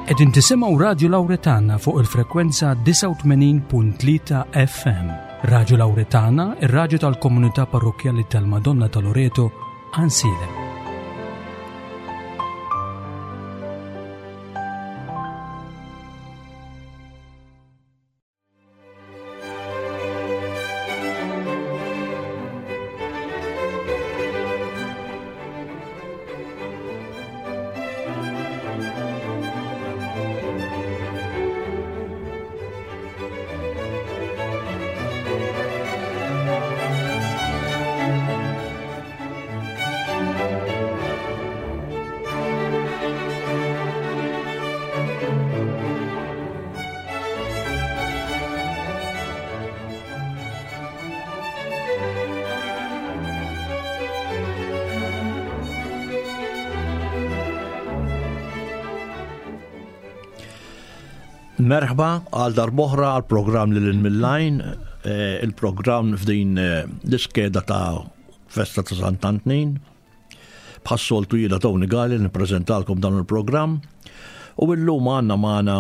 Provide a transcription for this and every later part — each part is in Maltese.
Qegħdin tisimgħu Radju Lawretana fuq il-frekwenza 89.3 FM. Radju Lawretana, ir-radju tal-komunità parrokkjali tal-Madonna ta' Loreto, Ansilem. Merħba għal darboħra għal programm li l-Millajn, eh, il-programm f'din eh, l-iskeda ta' festa ta' Sant'Antnin. Bħas-soltu jiena Tony Gali nippreżentalkom dan il-programm u illum għandna magħna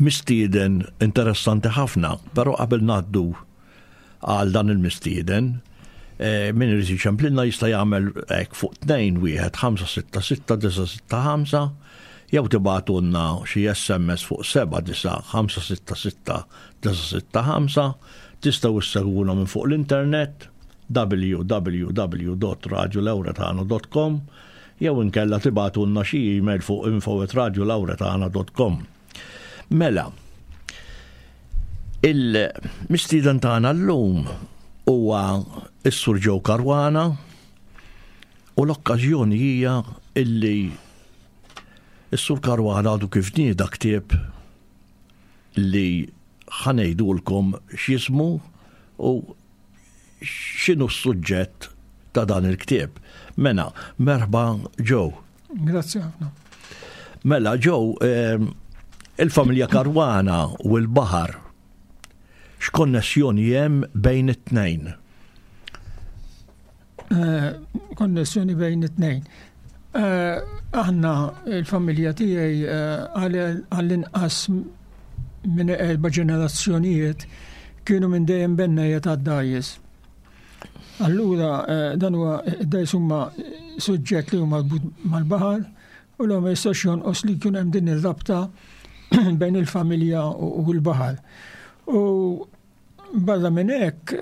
mistieden interessanti ħafna, però qabel ngħaddu għal dan il-mistieden, eh, min irid jiċemplilna jista' jagħmel hekk fuq 2 1 5 6 6 9 6 5 jew tibgħatulna xi SMS fuq 7 9 5 6 6 9 6 5 tistgħu issegwuna minn fuq l-internet www.radiolauretano.com jew inkella tibgħatulna xi email fuq info@radiolauretana.com. Mela, il-mistieden tagħna llum huwa s-Sur Joe Caruana u l-okkażjoni hija illi s-Sur Caruana għadu kif nieda ktieb li ħa ngħidulkom x'jismu u x'inhu s-suġġett ta' dan il-ktieb. Mela, merħba Joe. Grazzi ħafna. Mela Joe, ehm, il-familja Karwana u l-baħar x'konnessjoni hemm bejn it-tnejn? Eh, konnessjoni bejn it-tnejn. Eh, aħna il-familja tiegħi eh, għall-inqas minn erba' ġenerazzjonijiet kienu minn dejjem bennejja tad-dajjes. Allura dan huwa id-dajjes huma suġġett li huma mal-baħar u l ma jistax jonqos li jkun hemm din ir-rabta bejn il-familja u l-baħar. U barra minn hekk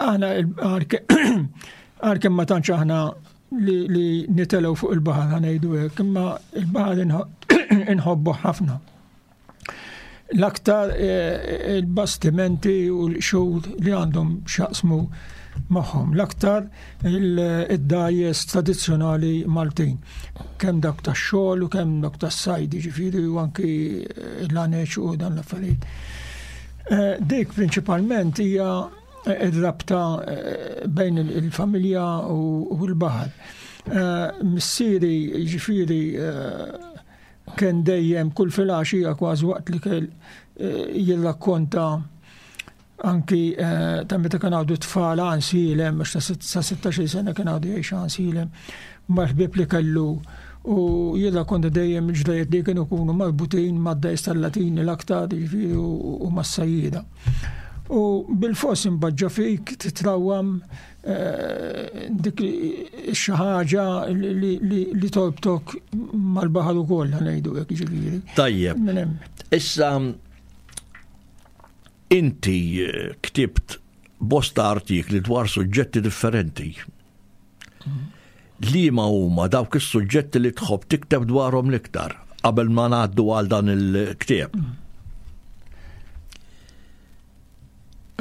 Aħna għalkemm ma tantx aħna li nitelgħu fuq il-baħar ħanejdu hekk, imma il-baħar inħobbu ħafna. L-aktar eh, il-bastimenti u l-xhur li għandhom xaqsmu magħhom. L-aktar id-dajes tradizzjonali Maltin. Kemm dak tax-xogħol u kemm dak tas-sajd, ġifieri u anki l-aneċ u dan l-affarijiet. Eh, dik prinċipalment hija eh, ir-rabta eh, bejn il-familja u l-baħar. Missieri ġifieri kien dejjem kull filgħaxija kważi waqt li kell jirrakkonta anki ta' meta kien għadu tfal għansilem, għax ta' 16 sena kien għadu jgħix għansilem, mal-ħbieb li kellu u jirrakkonta dejjem il-ġrajiet li kienu jkunu marbutin mad-dajs tal-Latini l-aktar, jiġifieri u mas-sajjieda. U bil-fors imbaġġa fik titrawam eh, dik xi ħaġa li torbtok mal-baħar ukoll ngħidu hekk jiġifieri. Tajjeb. Issa inti eh, ktibt bosta artikli dwar suġġetti differenti. Liema huma dawk is-suġġetti li tħobb tikteb dwarhom l-iktar qabel ma ngħaddu għal dan il-ktieb?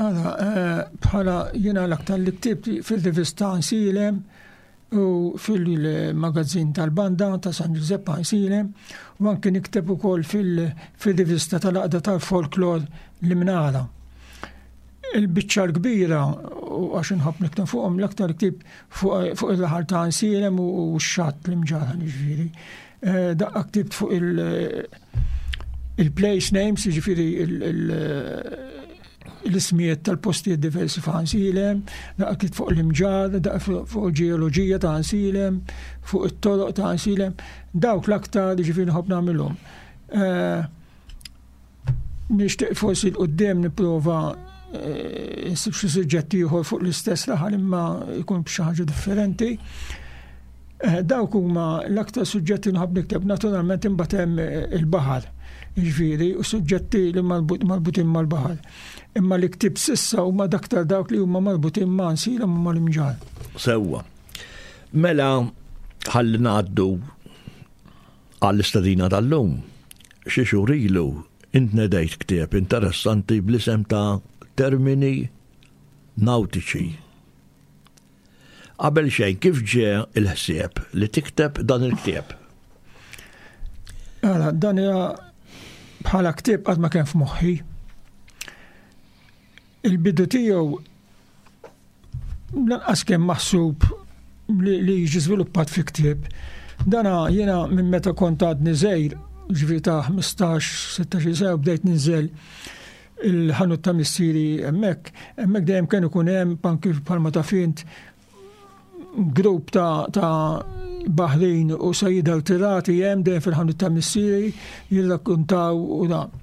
Ara, eh, bħala jiena l-aktar li ktibt fil-rivista Nsilem u fil-magazzin tal-banda ta' San Giuseppe Nsilem u anki nikteb ukoll fil-rivista tal-Għaqda tal-Folklor l-Imnara. Il-biċċa l-kbira, u għax inħobb nikteb fuqhom l-aktar ktib fuq il-raħal ta' Ansielem u x-xatt l-imġarħa ġifieri. Eh, daqqa ktibt fuq il-place names, ġifieri il- l-ismijiet tal-postijiet diversi f'Għansilem, daqqa ktibt fuq l-imġarr, daqqa fuq il-ġeoloġija ta' Għansilem, fuq it-toroq ta' Għansilem, dawk l-aktar ġifieri nħobb nagħmilhom. Eh, nixtieq forsi l-qudiem nipprova eh, nsib xi suġġett ieħor fuq l-istess raħal imma jkun b'xi ħaġa differenti. Eh, dawk huma l-aktar suġġetti nħobb nikteb naturalment imbagħad hemm eh, il-baħar, jiġifieri u suġġetti li marbutin mal-baħar. Imma li ktib sissa huma daktar dawk li huma marbutin ma' nsira ma' mal-imġar. Sewwa. Mela ħalli ngħaddu għall-istadina tal-lum. Xi xhur ilu int nedejt ktieb interessanti bl-isem ta' Termini Nautiċi. Qabel xejn, kif ġie l-ħsieb li tikteb dan il-ktieb? Għala, dan hija bħala ktieb qatt ma kien f'moħħi. Il-bidu tiegħu lanqas kien maħsub li, li jiġi żviluppat fi ktieb. Dana jiena minn meta kont għadni żgħir, ġifieri ta' 15-16 sena bdejt ninżel il-ħanut ta' missieri hemmhekk, hemmhekk dejjem kien ikun hemm anki bħalma taf int grupp ta', ta baħrin u sajjida tirati hemm dejjem fil-ħanut ta' missieri jirrakkuntaw u dan.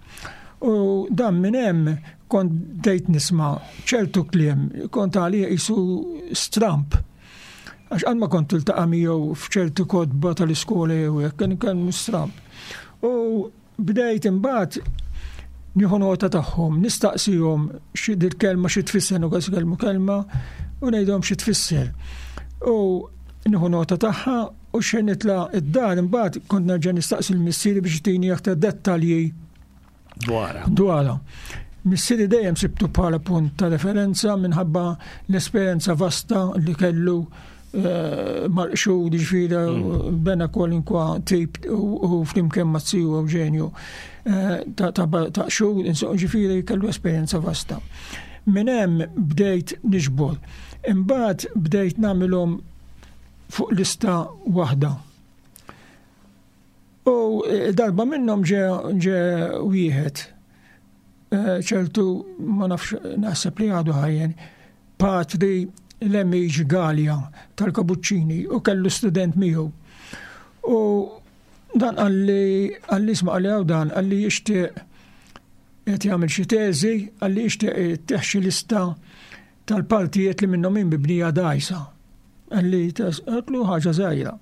U dan minn hemm kont bdejt nisma' ċertu kliem, kont għalija qisu stramp. Għax qatt ma kont tiltaqa' miegħu f'ċertu kotba tal-iskola jew hekk, kien kien stramp. U Bdejt imbagħad nieħu nota tagħhom, nistaqsihom xi dil-kelma xi tfisser, nukas kelmu kelma u ngħidhom xi tfisser. U nieħu nota tagħha u xejn nitla' id-dar imbagħad kont nerġa' nistaqsi l-missieri biex jtini aktar dettalji dwarha. Dwarha. Missieri dejjem sibtu bħala punt ta' referenza minħabba l-esperjenza vasta li kellu eh, mal-qxud ġifieri mm. bena kwalinkwa tip u flimkien ma' ziju Eugenju eh, ta' qxud, ġifieri kellu esperjenza vasta. Minn hemm bdejt niġbor. Imbagħad bdejt nagħmilhom fuq lista waħda. U eh, darba minnhom ġe wieħed eh, ċertu ma nafx naħseb li għadu ħajjen patri Lemiġ Galja tal-Kabuċċini u kellu student miegħu. U dan għalli għalli isma' għalli għaw dan għalli jixtieq qed jagħmel xi teżi għalli jixtieq teħxi lista tal-partijiet li minnhom hi mibnija dgħajsa. Qalli għedtlu ħaġa żgħira.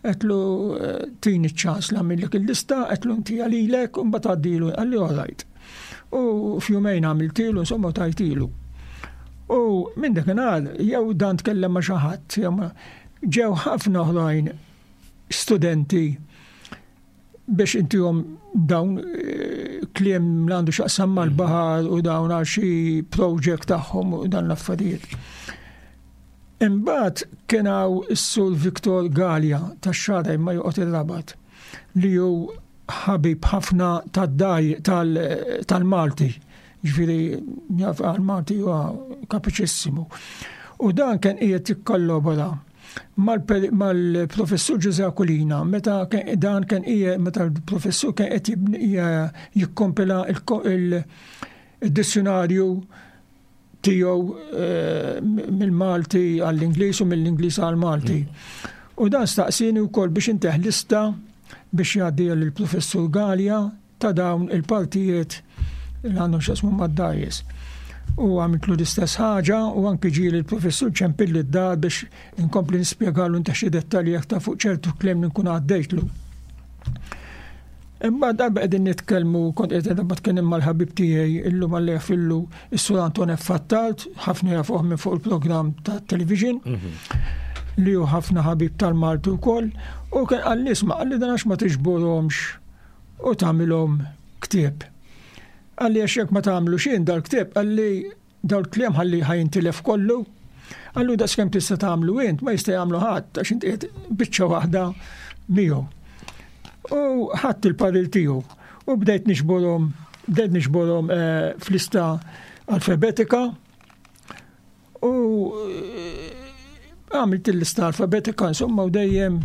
Għedtlu eh, tini ċ-ċans nagħmillek il-lista, għedtlu inti għalilek u mbagħad għaddilu, qalli all right. U f'jumejn għamiltilu, insomma tajtilu. U minn dakinhar jew dan tkellem ma' xi ħadd, ġew ħafna oħrajn studenti biex intihom dawn eh, kliem li għandu xaqsam mal-baħar u dawn għal xi project tagħhom u dan l-affarijiet. Imbagħad kien hawn is-Sur Victor Galea tax-Xagħra imma joqgħod ir-Rabat li hu ħabib ħafna tad-daj tal-Malti. Ġifieri jaf għal-Malti huwa kapaċissimu. U dan kien qiegħed jikkollabora mal-professur Ġużè Aquilina meta dan kien qiegħed meta l-professur kien qed jikkompila il-dizzjonarju tiegħu eh, mill-Malti għall-Ingliż u mill-Ingliż għall-Malti. U dan staqsini wkoll biex inteħ lista biex jgħaddi lill-professur Galea ta' dawn il-partijiet li għandhom x'jaqsmu mad-dgħajjes. U għamiltlu l-istess ħaġa u anki ġieli l-professur ċempilli d-dar biex inkompli nispjegalu inta xi dettalji aktar fuq ċertu kliem li nkun għaddejtlu. Imma darba qegħdin nitkellmu kont qed darba tkellem mal-ħabib tiegħi illum għal fillu is-Sur Anton F. Fattalt, ħafna jafuh minn fuq il-programm ta' television mhm. li hu ħafna ħabib tal-Malti wkoll, u kien qalli isma' qalli dan għax ma tiġborhomx u tagħmilhom ktieb. Qalli għax jekk ma tagħmlu xejn dal-ktieb, qalli dal-kliem ħalli ħajintilef kollu. Qallu daqskemm tista' tagħmlu int ma jista' jagħmlu ħadd għax inti qiegħed biċċa waħda miegħu. U ħadd il-parir tiegħu u bdejt nixborhom bdejt nixborhom eh, fl-lista alfabetika U eh, għamilt il-lista alfabetika, insomma, u dejjem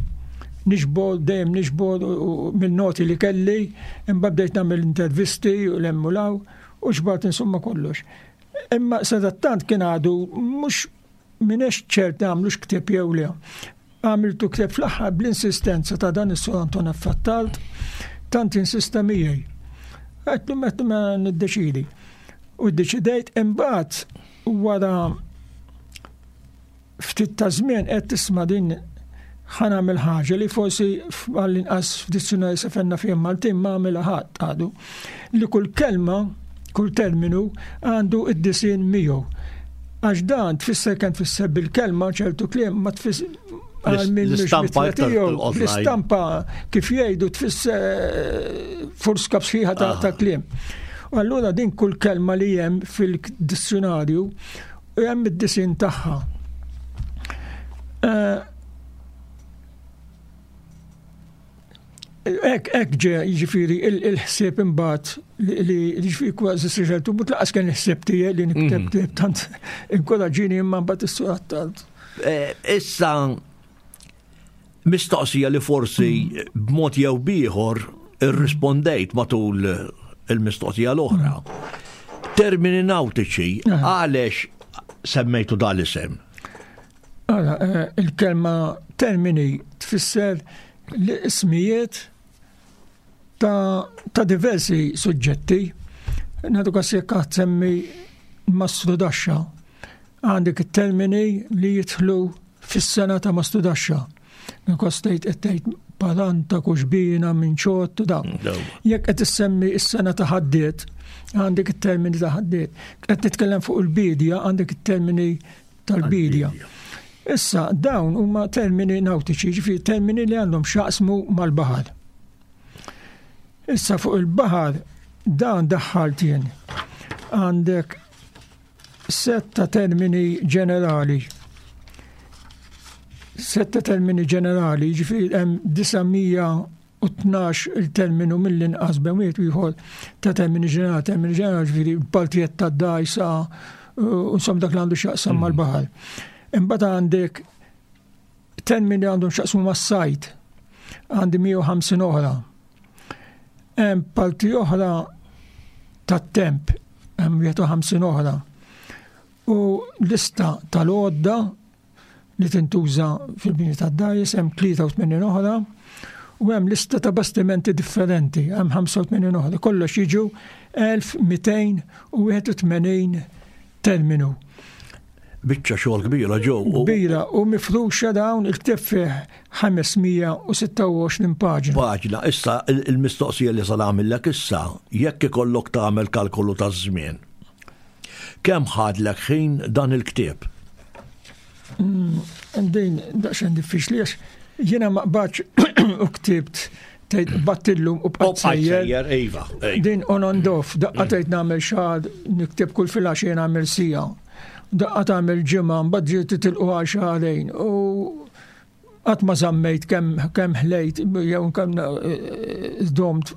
nixbor, dejjem nixbor mill-noti li kelli, imma bdejt nagħmel intervisti u l-hemm u law, u xbart insomma kollox. Imma sadattant kien għadu mhux m'iniex ċert għamlux ktieb jew le. Għamiltu ktieb fl-aħħar bl-insistenza ta' dan is-Sur Anton Affattalt, tant insista miegħi. Għedtlu meta ma niddeċidi. U ddeċidejt imbagħad wara ftit ta' żmien qed tisma' din ħa nagħmel ħaġa li forsi għall-inqas f'dizzjonarju sefenna fihom Maltin ma għamilha ħadd għadu. Li kull kelma, kull terminu għandu id-disinn miegħu. Għax dan tfisser kemm tfisser bil-kelma ċertu kliem ma tfisser L-istampa L-istampa kif jgħidu tfisser eh, forska sħiħa ta' ah. kliem. U allura din kull kelma li hemm fil-dizzjonarju u hemm id-disin tagħha. Eh, ek, ek ġe, ġifiri, il-ħsieb imbagħad li ġifiri kważi siġeltu, but laqas kien il-ħsieb tiegħi li nikteb mhm. ktieb tant inkoraġini imma mbagħad is-surat tant. Eh, issa mistoqsija li forsi b'mod jew bieħor irrispondejt matul il-mistoqsija l-oħra. Termini nautiċi, għalex semmejtu dal-isem? Għala, eh, il-kelma termini tfisser l-ismijiet ta', ta diversi suġġetti. Nadu kas jekk semmi mastru daxxa. Għandek it-termini li jidħlu fis-sena ta' mastudaxxa. Nikos tgħid qed tgħid palanta, kuxbina, minċott u dawn. Jekk qed issemmi s-sena ta' ħaddiet, għandek it-termini ta' ħaddiet. Qed titkellem fuq il-bidja, għandek it-termini tal-bidja. Issa dawn huma termini nautiċi, ġifieri termini li għandhom x'jaqsmu mal-baħar. Issa fuq il-baħar dan daħħalt jien. Għandek Sett ta' termini ġenerali. Sett ta' termini ġenerali, ġifieri hemm 912 il-terminu mill-inqas bejn wieħed ieħor ta' termini ġenerali, termini ġenerali ġifieri partijiet ta' dajsa u insomma dak li għandu x'jaqsam mm. mal-baħar. Imbagħad għandek termini li għandhom x'jaqsmu mas-sajt. Għandi 150 oħra. Hemm parti oħra tat-temp, hemm 51 oħra. U lista tal-għodda li tintuża fil-bini tad-dajs hemm 83 oħra u hemm lista ta' bastimenti differenti, hemm 85 oħra. Kollox jiġu 1281 terminu. Biċċa xogħol kbira ġew. Kbira u mifruxa dawn il-ktieb fih 526 paġna. Paġna, issa il-mistoqsija li sa nagħmillek issa, jekk ikollok tagħmel kalkolu taż-żmien. Kemm ħadlek ħin dan il-ktieb? Mm, din daqsxejn diffiċli għax jiena ma qbadx u ktibt tgħid battillum u bqajt sejjer. Iva, Din on and off, daqqa mm. tgħid nagħmel xahar nikteb kull filgħaxija nagħmel sija. Daqqa tagħmel ġimgħa, mbagħad ġiet titilqu għal xahrejn u qatt ma żammejt kemm kemm ħlejt jew kemm eh, domt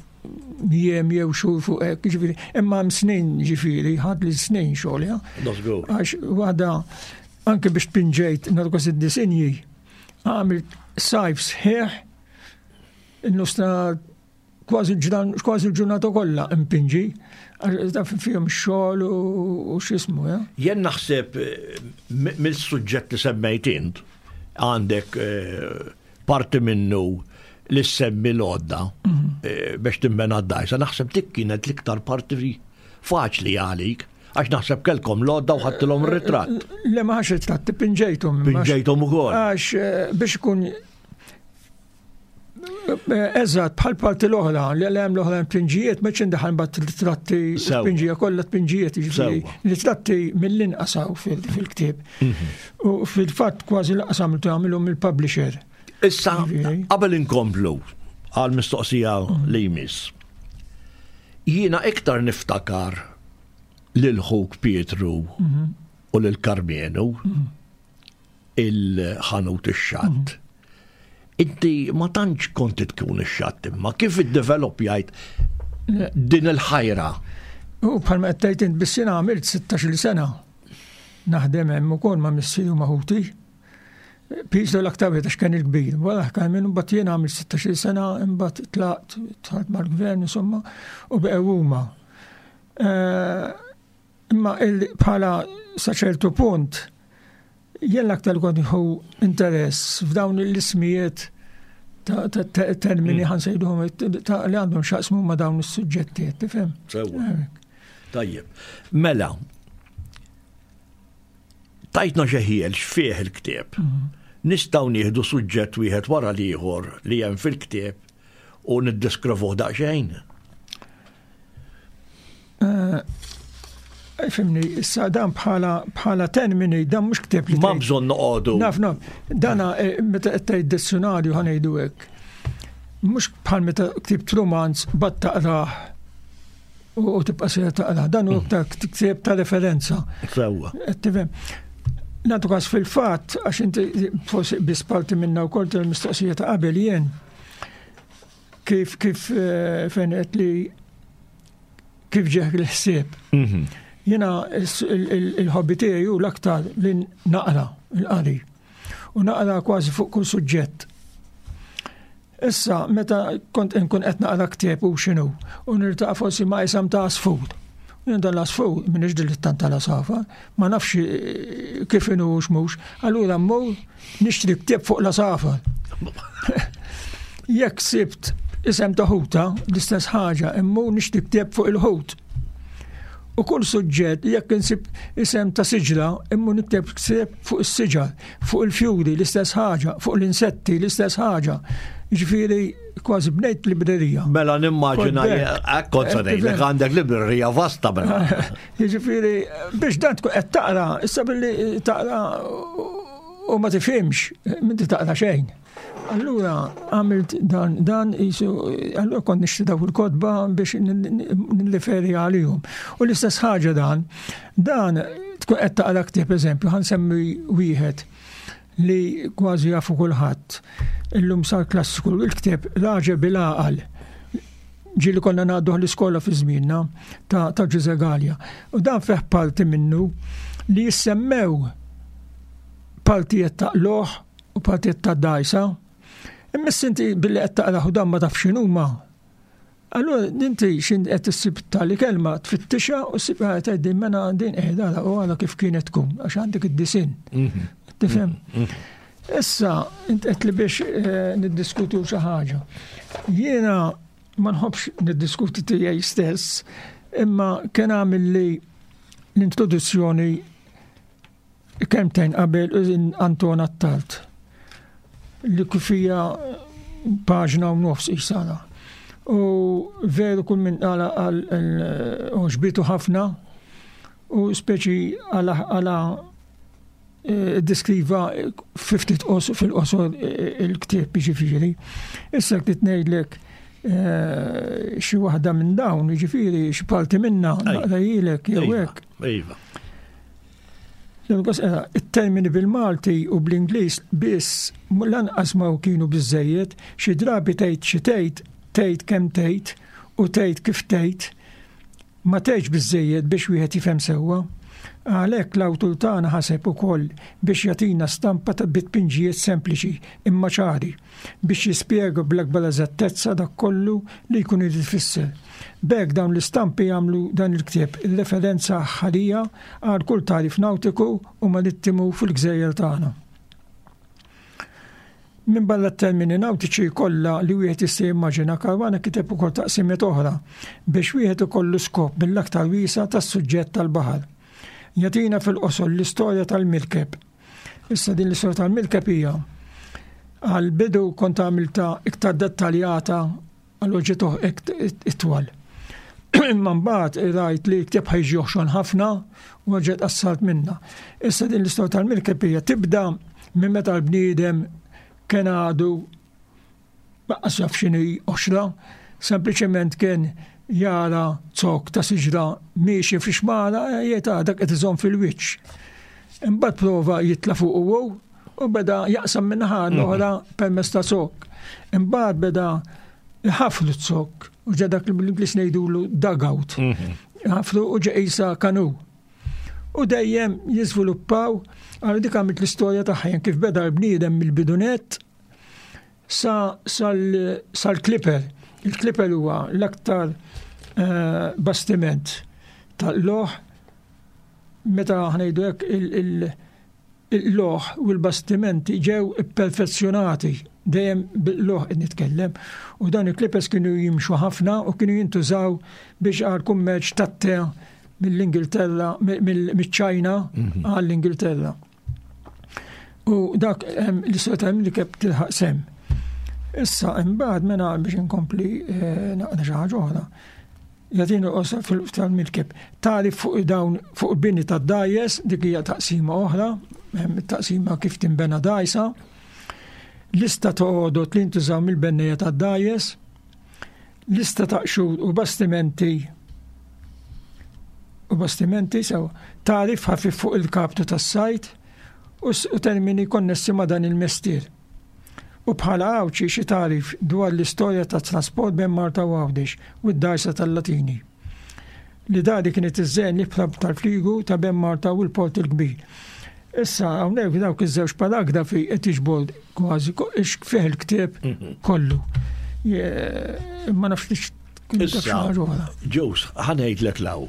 jiem jew xhur fuq hekk, ġifieri, imma hemm snin ġifieri, ħadd li snin xogħol, ja. Għax waħda anke biex tpinġejt narkos id-disinji, għamilt sajf sħiħ il-nustra kważi kważi l-ġurnata kollha impinġi, taf fihom xogħol u x'ismu, ja. Jien naħseb eh, mill-suġġett li semmejt int għandek eh, parti minnu li semmi l-għodda mhm. eh, biex timbena d-dajsa, naħseb dik kienet l-iktar parti faċli għalik. Għax naħseb kelkom l-għodda u ħadtilhom ritratt. Le ma ħax ritratt, pinġejthom. Pinġejthom ukoll. Għax biex ikun Eżatt, bħal parti l-oħra, li hemm l-oħra tpinġijiet, ma ċindaħal mbagħad tratti tpinġija kollha tpinġijiet, jiġifieri li tratti mill-inqas fil-ktieb. Mhm. U fil-fatt kważi l-qas għamiltu għamilhom il-publisher. Issa, qabel inkomplu għal mistoqsija mhm. li jmiss. Jiena iktar niftakar lil ħuk Pietru mhm. u lil Karmenu il-ħanut ix-xatt. Inti ma tantx kont tkun ix-xatt imma kif iddevelopjajt din il-ħajra? U bħalma qed tgħid int biss jiena għamilt 16-il sena naħdem hemm ukoll ma' missieri u ma' ħuti. Piso l-aktar wieħed għax kien il-kbir. Wara kien minn mbagħad jiena għamilt 16-il sena, imbagħad tlaqt, dħalt mal-gvern insomma, u beqgħu huma. Eh, Imma bħala sa ċertu punt, jien l-aktar kont nieħu interess f'dawn l-ismijiet ta' termini mm. ħansejduhom li għandhom xaqsmu ma' dawn is-suġġetti, tifhem? Sewwa. Tajjeb. Mela, tajtna xeħiel x'fih il-ktieb. Mm. Nistgħu nieħdu suġġett wieħed wara l-ieħor li hemm fil-ktieb u niddeskrivuh daqsxejn. Eh, fimni, issa dan bħala bħala termini, dan mhux ktieb li. Ma bżonn noqogħdu. Naf, naf, dana eh, meta qed tgħid dizzjonarju ħanejdu hekk. Mhux bħal meta ktibt romanz bad taqrah u tibqa' sejra taqrah. Dan hu mm. aktar ktieb ta' referenza. Sewwa. Tifhem. Nagħtu każ fil-fatt għax inti forsi biss parti minna wkoll tal-mistoqsija ta' qabel jien kif kif eh, fejn qed li kif ġeħ il-ħsieb. Mhm. Jena il-hobby tiegħi hu l-aktar li naqra il-qari. U naqra kważi fuq kull suġġett. Issa, meta kont inkun qed naqra ktieb u x'inhu, u nirtaqa' forsi ma' isam ta' asfur. Jien dan l-asfur m'iniex dilettant tal-asafa, ma nafx eh, kif inhu u x'mhux, allura mmur nixtri ktieb fuq l-asafar. Jekk sibt isem ta' ħuta, l-istess ħaġa, immu nixtri ktieb fuq il-ħut. U kull suġġett, jekk insib isem ta' siġra, immu nikteb ktieb fuq is-siġar, fuq il-fjuri, l-istess ħaġa, fuq l-insetti, l-istess ħaġa. Ġifieri kważi bnejt librerija. Mela nimmaġina kont se ngħidlek għandek librerija vasta mela. Jiġifieri biex dan tkun qed taqra, issa billi taqra u ma tifhimx, m'inti taqra xejn. Allura għamilt dan, dan jisu, allura kont nixtri dawk il-kotba biex nirreferi għalihom. U l-istess ħaġa dan, dan tkun qed taqra ktieb eżempju, ħansemmi wieħed li kważi jafu kulħadd. Illum sar klassiku il-ktieb Raġel bil-għaqal ġieli konna ngħadduh l-iskola fi żmienna ta' ta' Ġuże Galea. U dan fih parti minnu li jissemmew partijiet ta' loħ u partijiet ta' dajsa. Imma inti billi qed taqrah u dan ma tafx x'inhuma, Allura inti x'in qed issib tali kelma tfittixha u ssib ah, tgħid din mela din qiegħda eh, u għala kif kienet tkun għax għandek id-disinn. Mhm. Tifhem? Mhm. Issa int qed li biex eh, niddiskutu xi ħaġa. Jiena ma nħobbx niddiskuti tiegħi stess, imma kien għamil li l-introduzzjoni Kelmtejn qabel Anton Attard li kif hija paġna u nofs isara. U veru kull minn għala għal oġbitu ħafna u speċi għala għala eh, diskriva fiftit fil-qosor eh, il-ktieb ġifieri. Issa ktit ngħidlek eh, xi waħda minn dawn, ġifieri xi parti minna naqrajilek jew iva, hekk. Iva. It-termini bil-Malti u bl-Ingliż biss lanqas ma kienu biżżejjed, xi drabi tgħid xi tgħid, tgħid kemm tgħid u tgħid kif tgħid, ma tgħidx biżżejjed biex wieħed jifhem sewwa. Għalhekk l-awtur tagħna ħaseb ukoll biex jagħtina stampa ta' bi tpinġijiet sempliċi imma ċari biex jispjega bl-akbar eżattezza dak kollu li jkun irid ifisser. B'hekk dawn l-istampi jagħmlu dan il-ktieb referenza aħħarija għal kull tagħrif nawtiku u marittimu fil-gżejjer tagħna. Minbarra t-termini nawtiċi kollha li wieħed jista' jimmaġina, Caruana kiteb ukoll taqsimiet oħra biex wieħed ikollu skop mill-aktar wiesa' tas-suġġett tal-baħar. Jagħtina fil-qosor l-istorja tal-mirkeb. Issa din l-istorja tal-mirkeb hija għall-bidu kont għamiltha iktar dettaljata Allura ġiet itwal. Imma mbagħad rajt li l-ktieb ħajġi oħxon ħafna u ġiet qassart minna. Issa din l-istorja tal-mirkeb hija tibda minn meta l-bniedem kien għadu baqqas jaf x'inhi oxra, sempliċement kien jara zok ta' siġra miexi fi xmara jgħid ah, dak qed iżomm fil-wiċċ. Imbagħad prova jitla' fuq u u beda jaqsam minn naħa l-oħra mhm. permezz ta' zokk. Imbagħad beda ħaflu z-zokk u ġa dak li bl-Ingliż ngħidulu dugout. Mhm. Ħaflu u ġa qisha kanu. U dejjem jiżviluppaw għal dik għamilt l-istorja tagħha kif beda l-bniedem mill-bidunet sa sal-kliper. Il-kliper huwa l-aktar eh, bastiment tal-loħ. meta ħnejdu hekk il-loħ u l-bastimenti ġew ipperfezzjonati dejjem bil-loħ qed nitkellem u dawn il-clippers kienu jimxu ħafna u kienu jintużaw biex għal kummerċ tat-te mill-Ingilterra miċ-Ċajna mhm. għall-Ingilterra. U dak l-istorja ta' li keb tilħaq sem. Issa imbagħad mena biex inkompli eh, naqra xi ħaġa oħra. Jagħtini qosor tal-mirkeb. Tagħrif fuq dawn fuq il-bini tad-dgħajjes, dik hija taqsima oħra, taqsima kif tinbena dgħajsa. Lista ta' għodot li jintużaw mill-bennejja tad-dgħajjes, lista ta' qxur u bastimenti u bastimenti sew tagħrif ħafif fuq il-kaptu tas-sajt u termini konnessi ma' dan il-mestier. U bħala Għawdxi xi tagħrif dwar l-istorja tat-trasport bejn Malta u Għawdex u d-dgħajsa tal-Latini. Li dari kienet iżżejjen l-ibħra tal-fliegu ta' bejn Malta u l-Port il-Kbir. Issa hawnhekk dawk iż-żewġ paragrafi qed jiġbor kważi fih il-ktieb mhm. kollu. Ma nafx Issa, Ġus, ħanejdlek law.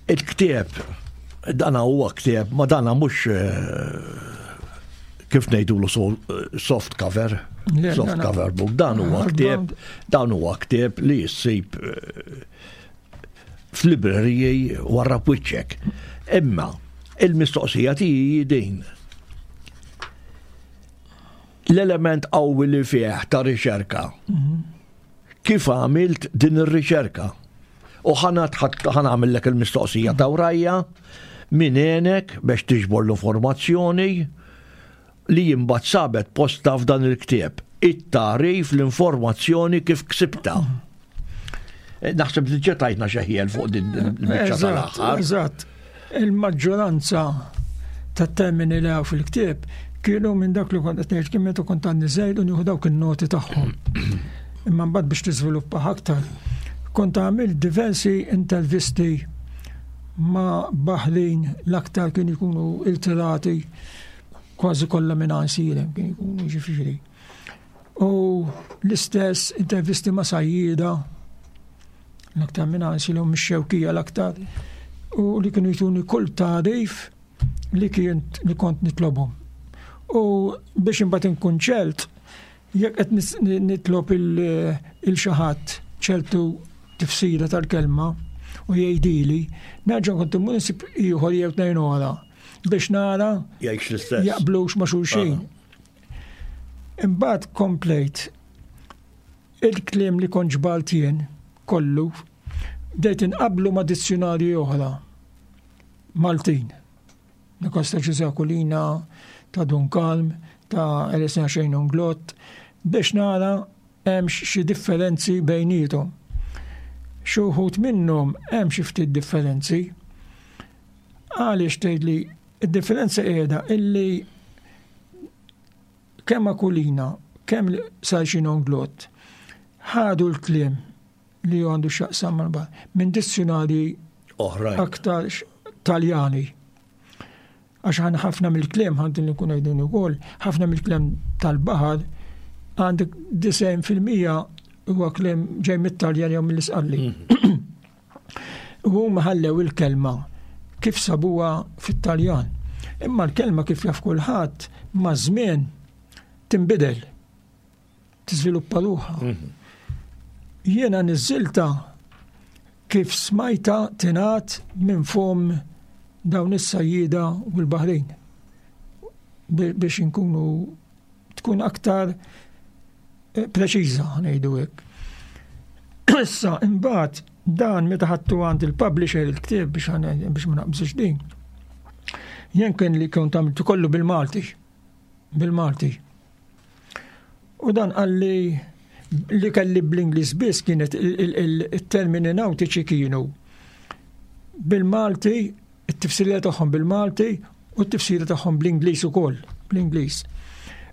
Il-ktieb, dana huwa ktieb, ma dana mhux eh, kif ngħidulu soft cover, soft cover book, dan huwa ktieb, dan huwa ktieb li jissib eh, f'libreriji warra wiċċek. Imma il-mistoqsija tiegħi din. L-element qawwi li fih ta' riċerka. Mhm. Kif għamilt din ir-riċerka? U ħanagħmillek il-mistoqsija ta' wrajja min għenek biex tiġbor l-informazzjoni li imbagħad sabet posta f'dan il-ktieb. It-tagħrif l-informazzjoni kif ksibta. Eh, naħseb li ġetajtna xeħjel fuq din il-biċċa tal-aħħar. Eżatt. Il-maġġoranza tat-termini li hawn fil-ktieb kienu minn dak li kont qed ngħid kien meta kont għandi żgħir u nieħu dawk in-noti tagħhom. Imma mbagħad biex tiżviluppa aktar, kont għamilt diversi intervisti ma' baħrin l-aktar kienu jkunu iltirati kważi kollha minn għansirem kienu jkunu ġifieri. U l-istess intervisti ma' sajjieda, l-aktar minn għansilhom mix-xewkija l-aktar, u li kienu jtuni kull tagħrif li kien li kont nitlobhom. U biex imbagħad inkun ċert, jekk qed nitlob il xi ħadd ċertu tifsira tal-kelma u jgħidili, nerġa' kont immur insib ieħor jew tnejn oħra biex nara jaqblux ma' xulxin. Ah. Imbagħad komplejt il-kliem li kont ġbart jien kollu bdejt inqabblu ma' dizzjunarji oħra Maltin. Nikos ta' Ġużè Aquilina, ta' Dun Kalm, ta' Elesna Xejn Unglott, biex nara hemmx xi differenzi bejniethom. Xi wħud minnhom hemm xi ftit differenzi. Għaliex tgħidli d-differenza qiegħda illi kemm Aquilina, kemm Sarxin Onglott ħadu l-kliem li għandu x'jaqsam mal-baħar minn dizzjunarji oħrajn aktar Taljani. Għax ħan ħafna mill-kliem ħantin li nkun għajdin ukoll, ħafna mill-kliem tal-baħar għandek 90% huwa kliem ġej mit-Taljan jew mill-Isqalli. Mhm. U huma ħallew il-kelma kif sabuha fit-Taljan. Imma l-kelma kif jaf kulħadd maż-żmien tinbidel, tiżviluppa ruħha. Mhm. Jiena niżżilta kif smajta tingħad minn fom dawn is-sajjieda u l-baħrin biex inkunu tkun aktar eh, preċiża ngħidu hekk. Issa imbagħad dan meta ħadtu għand il-publisher il-ktieb biex biex ma naqbżux din. Jien kien li kont għamiltu kollu bil-Malti. Bil-Malti. U dan qalli li kelli bl-Ingliż biss kienet il-termini nautiċi kienu bil-Malti it-tifsira tagħhom bil-Malti u t-tifsira tagħhom bl-Ingliż ukoll, bl-Ingliż.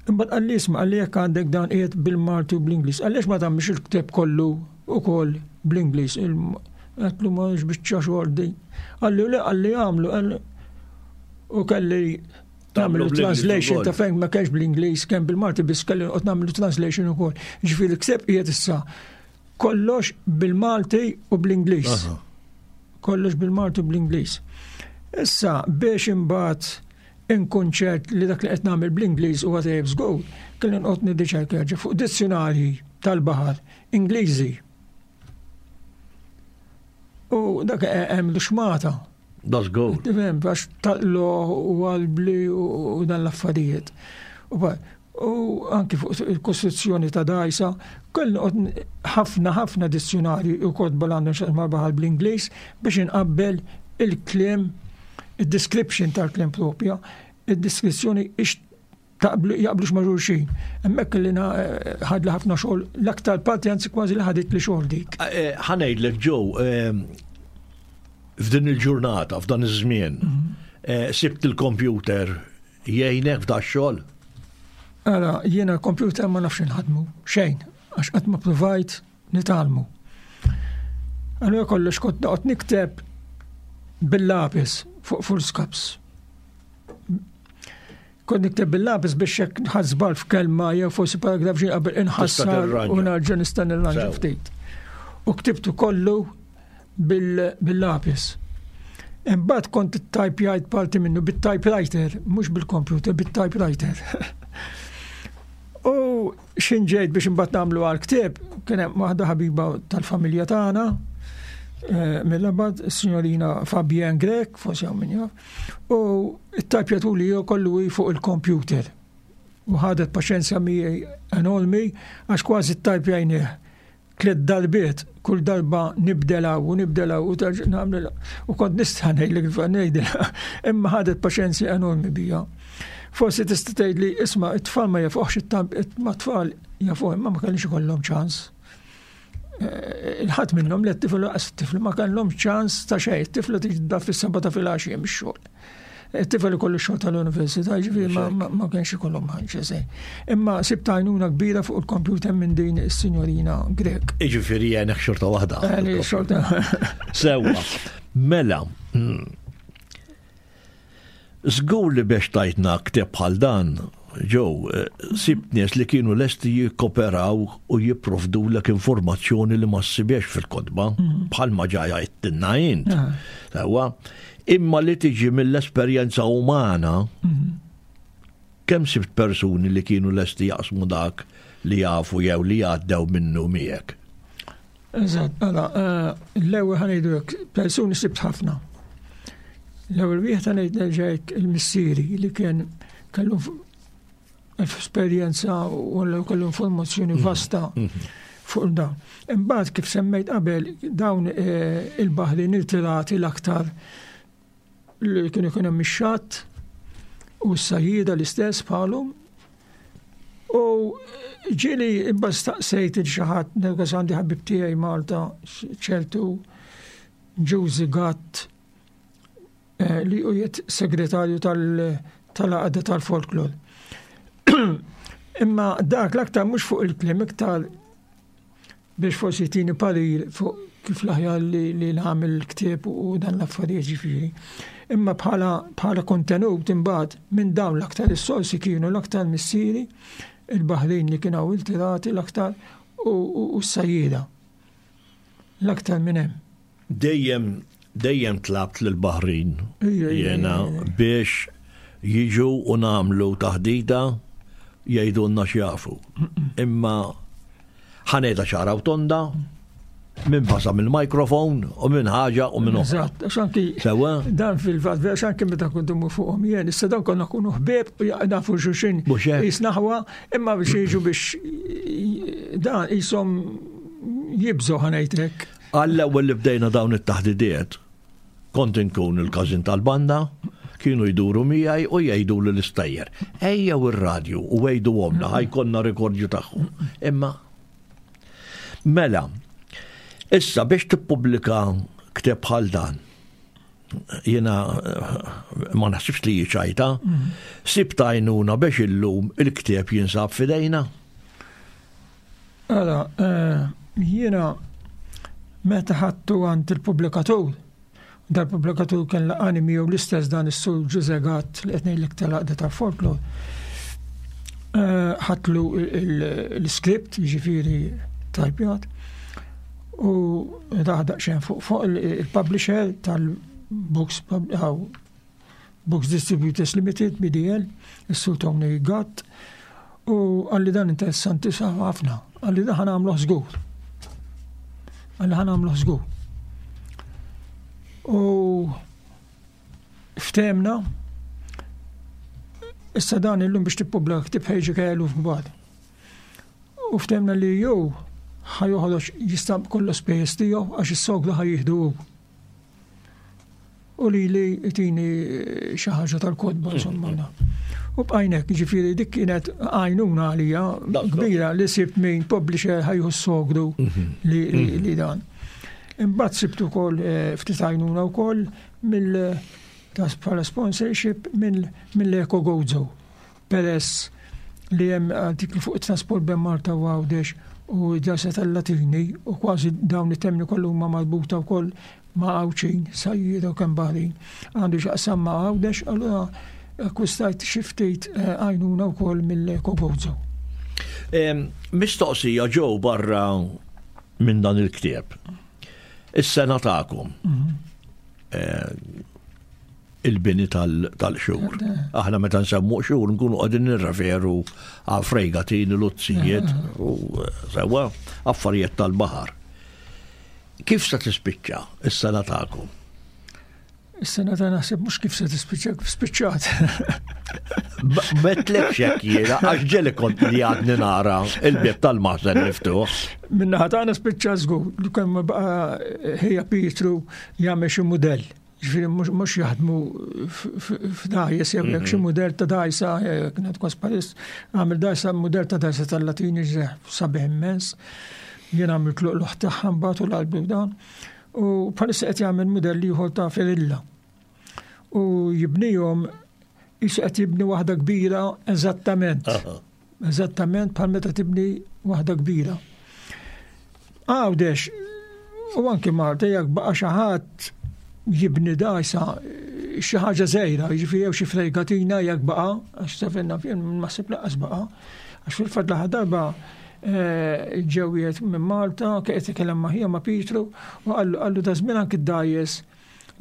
Imbagħad qalli isma' qalli jekk għandek dan qiegħed bil-Malti u bl-Ingliż, għaliex ma tagħmilx il-ktieb kollu ukoll bl-Ingliż? Għedtlu ma biċċa xogħol din. Qalli le qalli għamlu u kelli nagħmlu translation ta' fejn ma kienx bl-Ingliż, kemm bil-Malti biss kelli noqgħod nagħmlu translation ukoll. Ġifieri l-ktieb qiegħed issa kollox bil-Malti u bl-Ingliż. Kollox bil-Malti u bl-Ingliż. Issa biex imbagħad inkun ċert li dak li qed nagħmel bl-Ingliż huwa tajjeb żgur, kelli noqgħod nirriċerka fuq dizzjonarji tal-baħar Ingliżi. U dak hemm l-xmata. That's good. Tifhem, għax taqlo u għalbli u dan l-affarijiet. U anki fuq il-kostruzzjoni ta' dajsa, kellu ħafna ħafna dizzjonarji u kotba l għandhom xaqsma baħar bl-Ingliż biex inqabbel il-kliem, il-description tal-kliem propja, il-deskrizzjoni ix taqblu jaqblux ma' xulxin. Hemmhekk li eh, ħadli ħafna xogħol, l-aktar parti anzi kważi li ħadit li xogħol dik. Eh, eh, ħanejdlek ġew f'din il-ġurnata, f'dan iż-żmien, mhm. sibt il-kompjuter jgħinek f'da xogħol? Ara, jiena l-kompjuter ma nafx inħadmu, xejn, għax qatt ma provajt nitgħallmu. Allura kollox kont noqgħod nikteb bil-lapis fuq full scaps. Kont nikteb bil-lapis biex jekk nħadd żball f'kelma jew forsi paragraf xi qabel inħassar u narġa' nista' nirranġa ftit. U ktibtu kollu bil-lapis. Imbagħad kont ittajpjajt parti minnu bit-typewriter, mhux bil-computer, bit-typewriter. U xin ġejt biex imbagħad nagħmlu għal ktieb, kien hemm waħda ħabiba tal-familja tagħna, eh, mill-abad, signorina Fabienne Grek, forsi hawn min jaf, u t-tajpjatu li kollu hi fuq il-computer. U ħadet paċenzja miegħi enormi għax kważi t-tajpjajnieh tliet darbiet, kull darba nibdel hawn u nibdel hawn u terġa' nagħmel u kont nista' ngħidlek ngħidilha, imma ħadet paċenzja enormi bija. Forsi tista' tgħidli isma' it-tfal ma jafuhx it-tamp ma tfal jafuh imma ma kellix ikollhom ċans. Eh, il-ħadd minnhom li t-tifel laqas it-tifel ma kellhom ċans ta' xejn, it-tifla tiġi fis-seba ta' filgħaxija mix-xogħol. It-tifel ikollu xogħol tal-università, ġifieri ma kienx ikollhom ħaġa se. Imma sibt għajnuna kbira fuq il-kompjuter minn din is-sinjorina Grek. Jiġifieri għenek xorta waħda. Għeni xorta. Sewwa. Mela, Żgur li biex tajtna ktieb bħal dan, Joe, eh, sibt nies li kienu lesti jikkoperaw u jipprovdulek informazzjoni li ma ssibiex fil-kotba, mm. bħalma ġaja jittinna int. Ah. Sewwa, imma li tiġi mill-esperjenza umana, mm. kemm sibt persuni li kienu lesti jaqsmu dak li jafu jew li għaddew minnu miegħek? Eżatt, mela, eh, l-ewwel ħanejdu hekk, persuni sibt ħafna. L-ewwel wieħed ħanejd nerġa' il-missieri li kien kellu esperjenza u kellu informazzjoni mhm. vasta mhm. fuq dawn. Imbagħad kif semmejt qabel dawn eh, il-baħrin irtirati l-aktar li kien ikun hemm ix-xatt u s-sajjieda l-istess bħalhom. U ġieli imbagħad staqsejt il xi ħadd nergas għandi ħabib tiegħi Malta ċertu Ġużi Gatt eh, li u jiet segretarju tal-għaqda tal-folklor. Imma dak l-aktar mhux fuq il-klim iktar biex forsi jtini parir fuq kif l-aħjar li, li nagħmel il-ktieb u dan l-affarijiet ġifieri. Imma bħala, bħala kontenut imbagħad minn dawn l-aktar is-sorsi kienu l-aktar missieri, il-baħrin li kienu iltirati l-aktar u, u, u s-sajjieda. L-aktar minn hemm. Dejjem dejjem tlabt lill-baħrin jiena biex jiġu u nagħmlu taħdita jgħidulna x'jafu. Imma ħanejda ċara u tonda, minn pasa mill-mikrofon u minn ħaġa u minn oħra. Eżatt, għax anki dan fil-fatt, għax anki meta kont imur fuqhom jien, issa dan konna kunu ħbieb u nafu xulxin jisnaħwa, imma biex jiġu biex dan jisom jibżgħu ħanejtek. Għall-ewwel li bdejna dawn it-taħdidiet, kont inkun il-każin tal-banda, kienu jduru miegħi u jgħiduli l-istejjer. Ejjew ir-radju u għiduhomna ħa jkollna rikordju tagħhom. Imma mela, issa biex tippubblika ktieb bħal dan, jiena ma naħsibx li hi ċajta, sibt għajnuna biex illum il-ktieb jinsab f'idejna. Ara, eh, jiena meta ħadtu għand il-pubblikatur, dal-pubblikatur kien laqani miegħu l-istess dan is-sur Ġuże Gatt li qed ngħidlek tal-għaqda tal-folklor. Eh, ħadtlu l-iskript, jiġifieri tajpjat. U daħdaq xejn fuq fuq il-publisher tal-Books Books Distributors Limited, BDL, is-Sur Tony Gatt, u għalli dan interessanti ħafna, għalli dan ħanamluh żgur. Għalli ħanamluh żgur. U ftemna, issa dan illum biex tippubblika ktib ħejġi kellu f'kbar. U ftemna li jew ħa joħroġ jistamp kollu spejjeż tiegħu għax is-sogru ħa jieħdu hu. U li li tini xi ħaġa tal-kotba insomma. U bqajnek, ġifieri dik kienet għajnuna għalija kbira li sibt min publisher ħajju s-sogru mhm. li mhm. dan. Imbagħad sibt ukoll eh, ftit għajnuna wkoll mill bħala sponsorship mill-Eko Gozo. Peress li hemm artikli fuq it-trasport bejn Malta u Għawdex u d-djarsa tal-Latini u kważi dawn it-termini kollha huma marbuta wkoll ma' Għawdxin, sajjieda u kemm baħrin għandu x'jaqsam ma' Għawdex, allura akkwistajt xi ftit eh, għajnuna wkoll mill-Kogozo. Mistoqsija ġew barra minn dan il-ktieb. Is-sena tagħkom. Mhm. Eh, il-bini tal-xhur. Aħna meta nsemmu xhur nkunu qegħdin nirreferu għal fregatini, luzzijiet u eh, sewa affarijiet tal-baħar. Kif se tispiċċa is-sena tagħkom? Is-sena ta' naħseb mhux kif se tispiċċa, kif spiċċat. Metlek xek jiena, għax ġeli kont li għadni nara il-bieb tal-maħżen miftuħ. Minna ħatana spiċċa żgur, li kemm baqa' ħija Pietru jagħmel xi mudell. Ġifieri mhux jaħdmu f'dajjes jew jekk xi mhm. mudell ta' dajsa, eh, kienet kwas Paris, għamil dajsa mudell ta' dajsa tal-Latini sabiħ immens. Jien għamilt luqluħ tagħha mbagħad u l-qalbi dan. U bħalissa qed jagħmel mudell ieħor ta' Ferilla. U jibnihom jisu qed jibni waħda kbira eżattament. Eżattament bħal meta tibni waħda kbira. Għawdex, u anki Malta, jekk baqa' xi ħadd jibni dajsa xi ħaġa żgħira, jiġifieri jew xi fregatina jekk baqa' għax sefenna fien naħseb laqas baqa' għax fil-fatt l-aħħar darba eh, ġew wieħed minn Malta, kien qed ma' ħija ma' Pietru, u qallu da żmien anki d-dajjes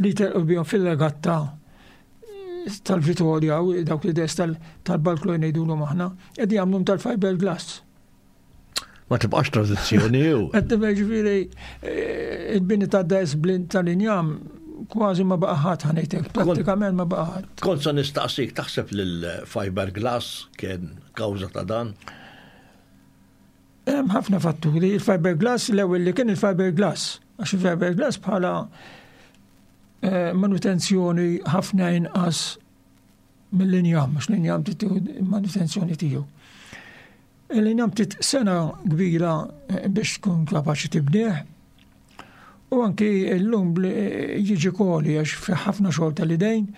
li telqu bihom fil-regatta tal-Vitorja u dawk li des tal-balkloj ngħidulhom aħna, qed jagħmluhom tal-fiberglass. Ma tibqax tradizzjoni jew. Qed ġifieri eh, il-bini ta' des blin tal-injam kważi ma baqa' ħadd ħanejtek, prattikament ma baqa' ħadd. Kont se nistaqsik taħseb li l-fiberglass kien kawża ta' dan? Hemm ħafna fatturi, il-fiberglass l-ewwel li kien il-fiberglass, għax il-fiberglass bħala eh, manutenzjoni ħafna inqas mill-injam, għax l-injam titieħu manutenzjoni tiegħu. L-injam tit sena kbira eh, biex tkun kapaċi tibnieh, u anki l-lum eh, jiġi koli għax fi ħafna xogħol tal-idejn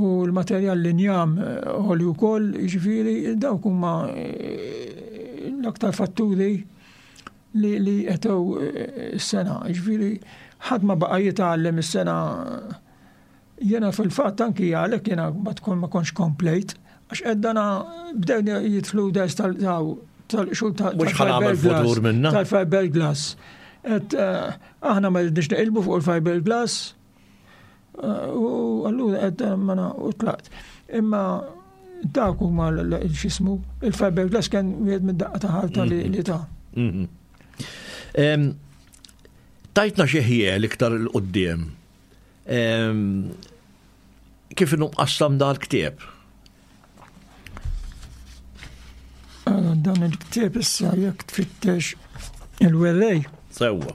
u l-materjal l-injam għoli wkoll, jiġifieri dawk huma l-aktar fatturi li li qetew eh, s-sena. Ġifieri ħadd ma baqa' jitgħallem is-sena jiena fil-fatt anki għalhekk jiena ma tkun ma kontx komplejt għax qed dana bdew jidħlu dajs tal-xul tal-fiberglass. Tal-fiberglass. Et eh, aħna ma rridniex neqilbu fuq il-fiberglass U allura qed ma u tlaqt. Imma dak huma x'ismu, il-fiberglass kien wieħed mid-daqqa ta' ħarta li mhm. ta' mhm. Tajtna xi ħjiel iktar il qudiem Kif inhu mqassam dan il-ktieb? Dan il-ktieb issa jekk tfittex il-werrej. Sewwa.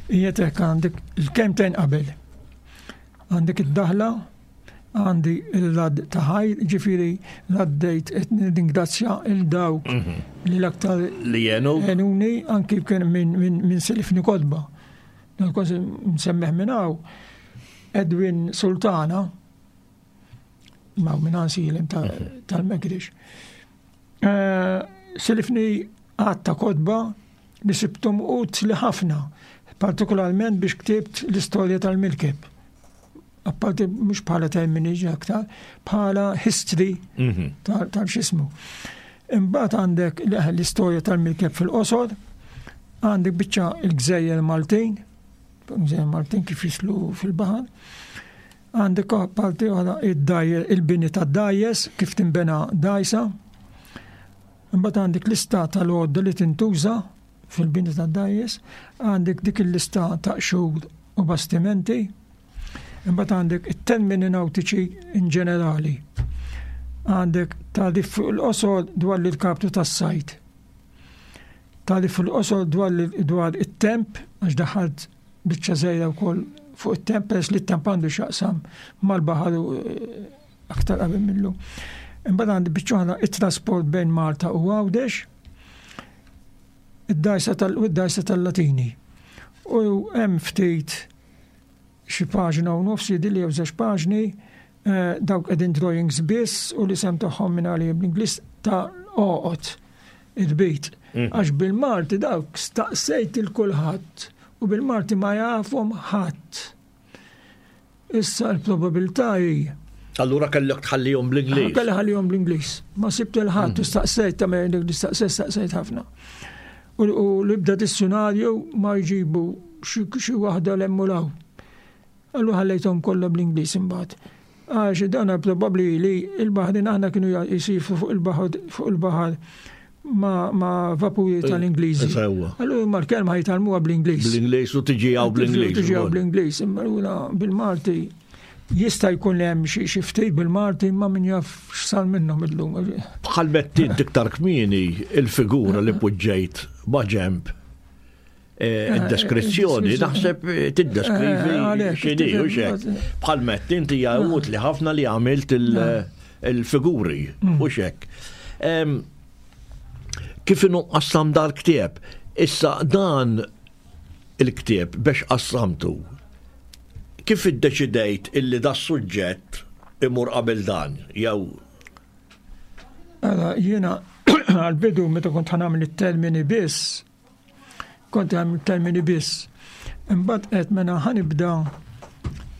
Qiegħed għandek il-kemtejn qabel. Għandek id-daħla, għandi il-lad ta' ħajr, ġifiri l-għaddejt qed nirringrazzja il dawk mhm. li l-aktar li jenu. Jenuni anki kien minn min, min selifni kodba. Nal-kważi nsemmeħ minn hawn Edwin Sultana, ma' minn għansilem tal-Megrix. Eh, silifni għatta kodba li sibtum utli ħafna, partikolarment biex ktibt l-istorja tal-Milkeb. Apparti mhux bħala termini aktar, bħala history mhm. tal-xismu. Imbagħad għandek l-istorja tal-Milkeb fil-qosor, Għandek biċċa il-gżejjer Maltin, gżejjer Maltin kif jislu fil-baħar. Għandek parti oħra il-bini tad-dajjes, kif tinbena dajsa. Imbagħad għandek lista tal-għodda li tintuża fil-bini tad-dajjes, għandek dik il-lista ta' qxur u bastimenti. Imbagħad għandek it-termini nautiċi in ġenerali. Għandek tagħrif fuq il-qosor dwar l-irkaptu tas-sajd. Tagħrif fuq il-qosor dwar dwar it-temp, għax daħalt biċċa żgħira wkoll fuq it-temp peress li t-temp għandu x'jaqsam mal-baħar u eh, aktar qabel millu. Imbagħad għandi biċċa oħra it-trasport bejn Malta u Għawdex, id-dajsa tal-dajsa tal-Latini. U hemm ftit xi paġna u nofs jidhirli jew żewġ paġni, eh, dawk qegħdin drawings biss u l-isem tagħhom minn għalija bl-Ingliż ta' għoqod id-bit. Mm. Għax bil-Malti dawk staqsejt il kulħadd u bil-Malti ma jafhom ħadd. Issa l-probabilità hi Allura kellek tħallihom bl-Ingliż. Kelli ħallihom bl-Ingliż. Ma sibt il-ħadd mm. staqsejt ta' staqsejt staqsejt ħafna. U l-ibda dizzjonarju ma jġibu xi waħda l hemm u l-hawn. Allura ħallejthom kollha bl-Ingliż imbagħad. Għax dan probabbli li l-baħrin aħna kienu jisifu fuq il-baħar fuq il-baħar ma, ma vapuri tal-Ingliżi. Allura ma l-kelma jitgħallmuha bl-Ingliż. Bl-Ingliż u tiġi hawn bl-Ingliż. Tiġi hawn bl-Ingliż, imma allura bil-Malti jista' jkun hemm xi ftit bil-Malti imma min jaf x'sar minnhom illum. Bħal mettint iktar kmieni il-figura li poġġejt ma' ġemp eh, eh, id-deskrizzjoni naħseb eh, tiddeskrivi x'inhi u xek. Bħal mettint hija utli ħafna li għamilt il-figuri mm. u xek. Kif inhu qassam dal-ktieb? Issa dan il-ktieb biex qassamtu Kif iddeċidejt illi da suġġett imur qabel dan, jew? Ara, jiena għal-bidu meta kont ħanamel it-termini biss, kont għamil termini biss. Imbagħad qed mela ħanibda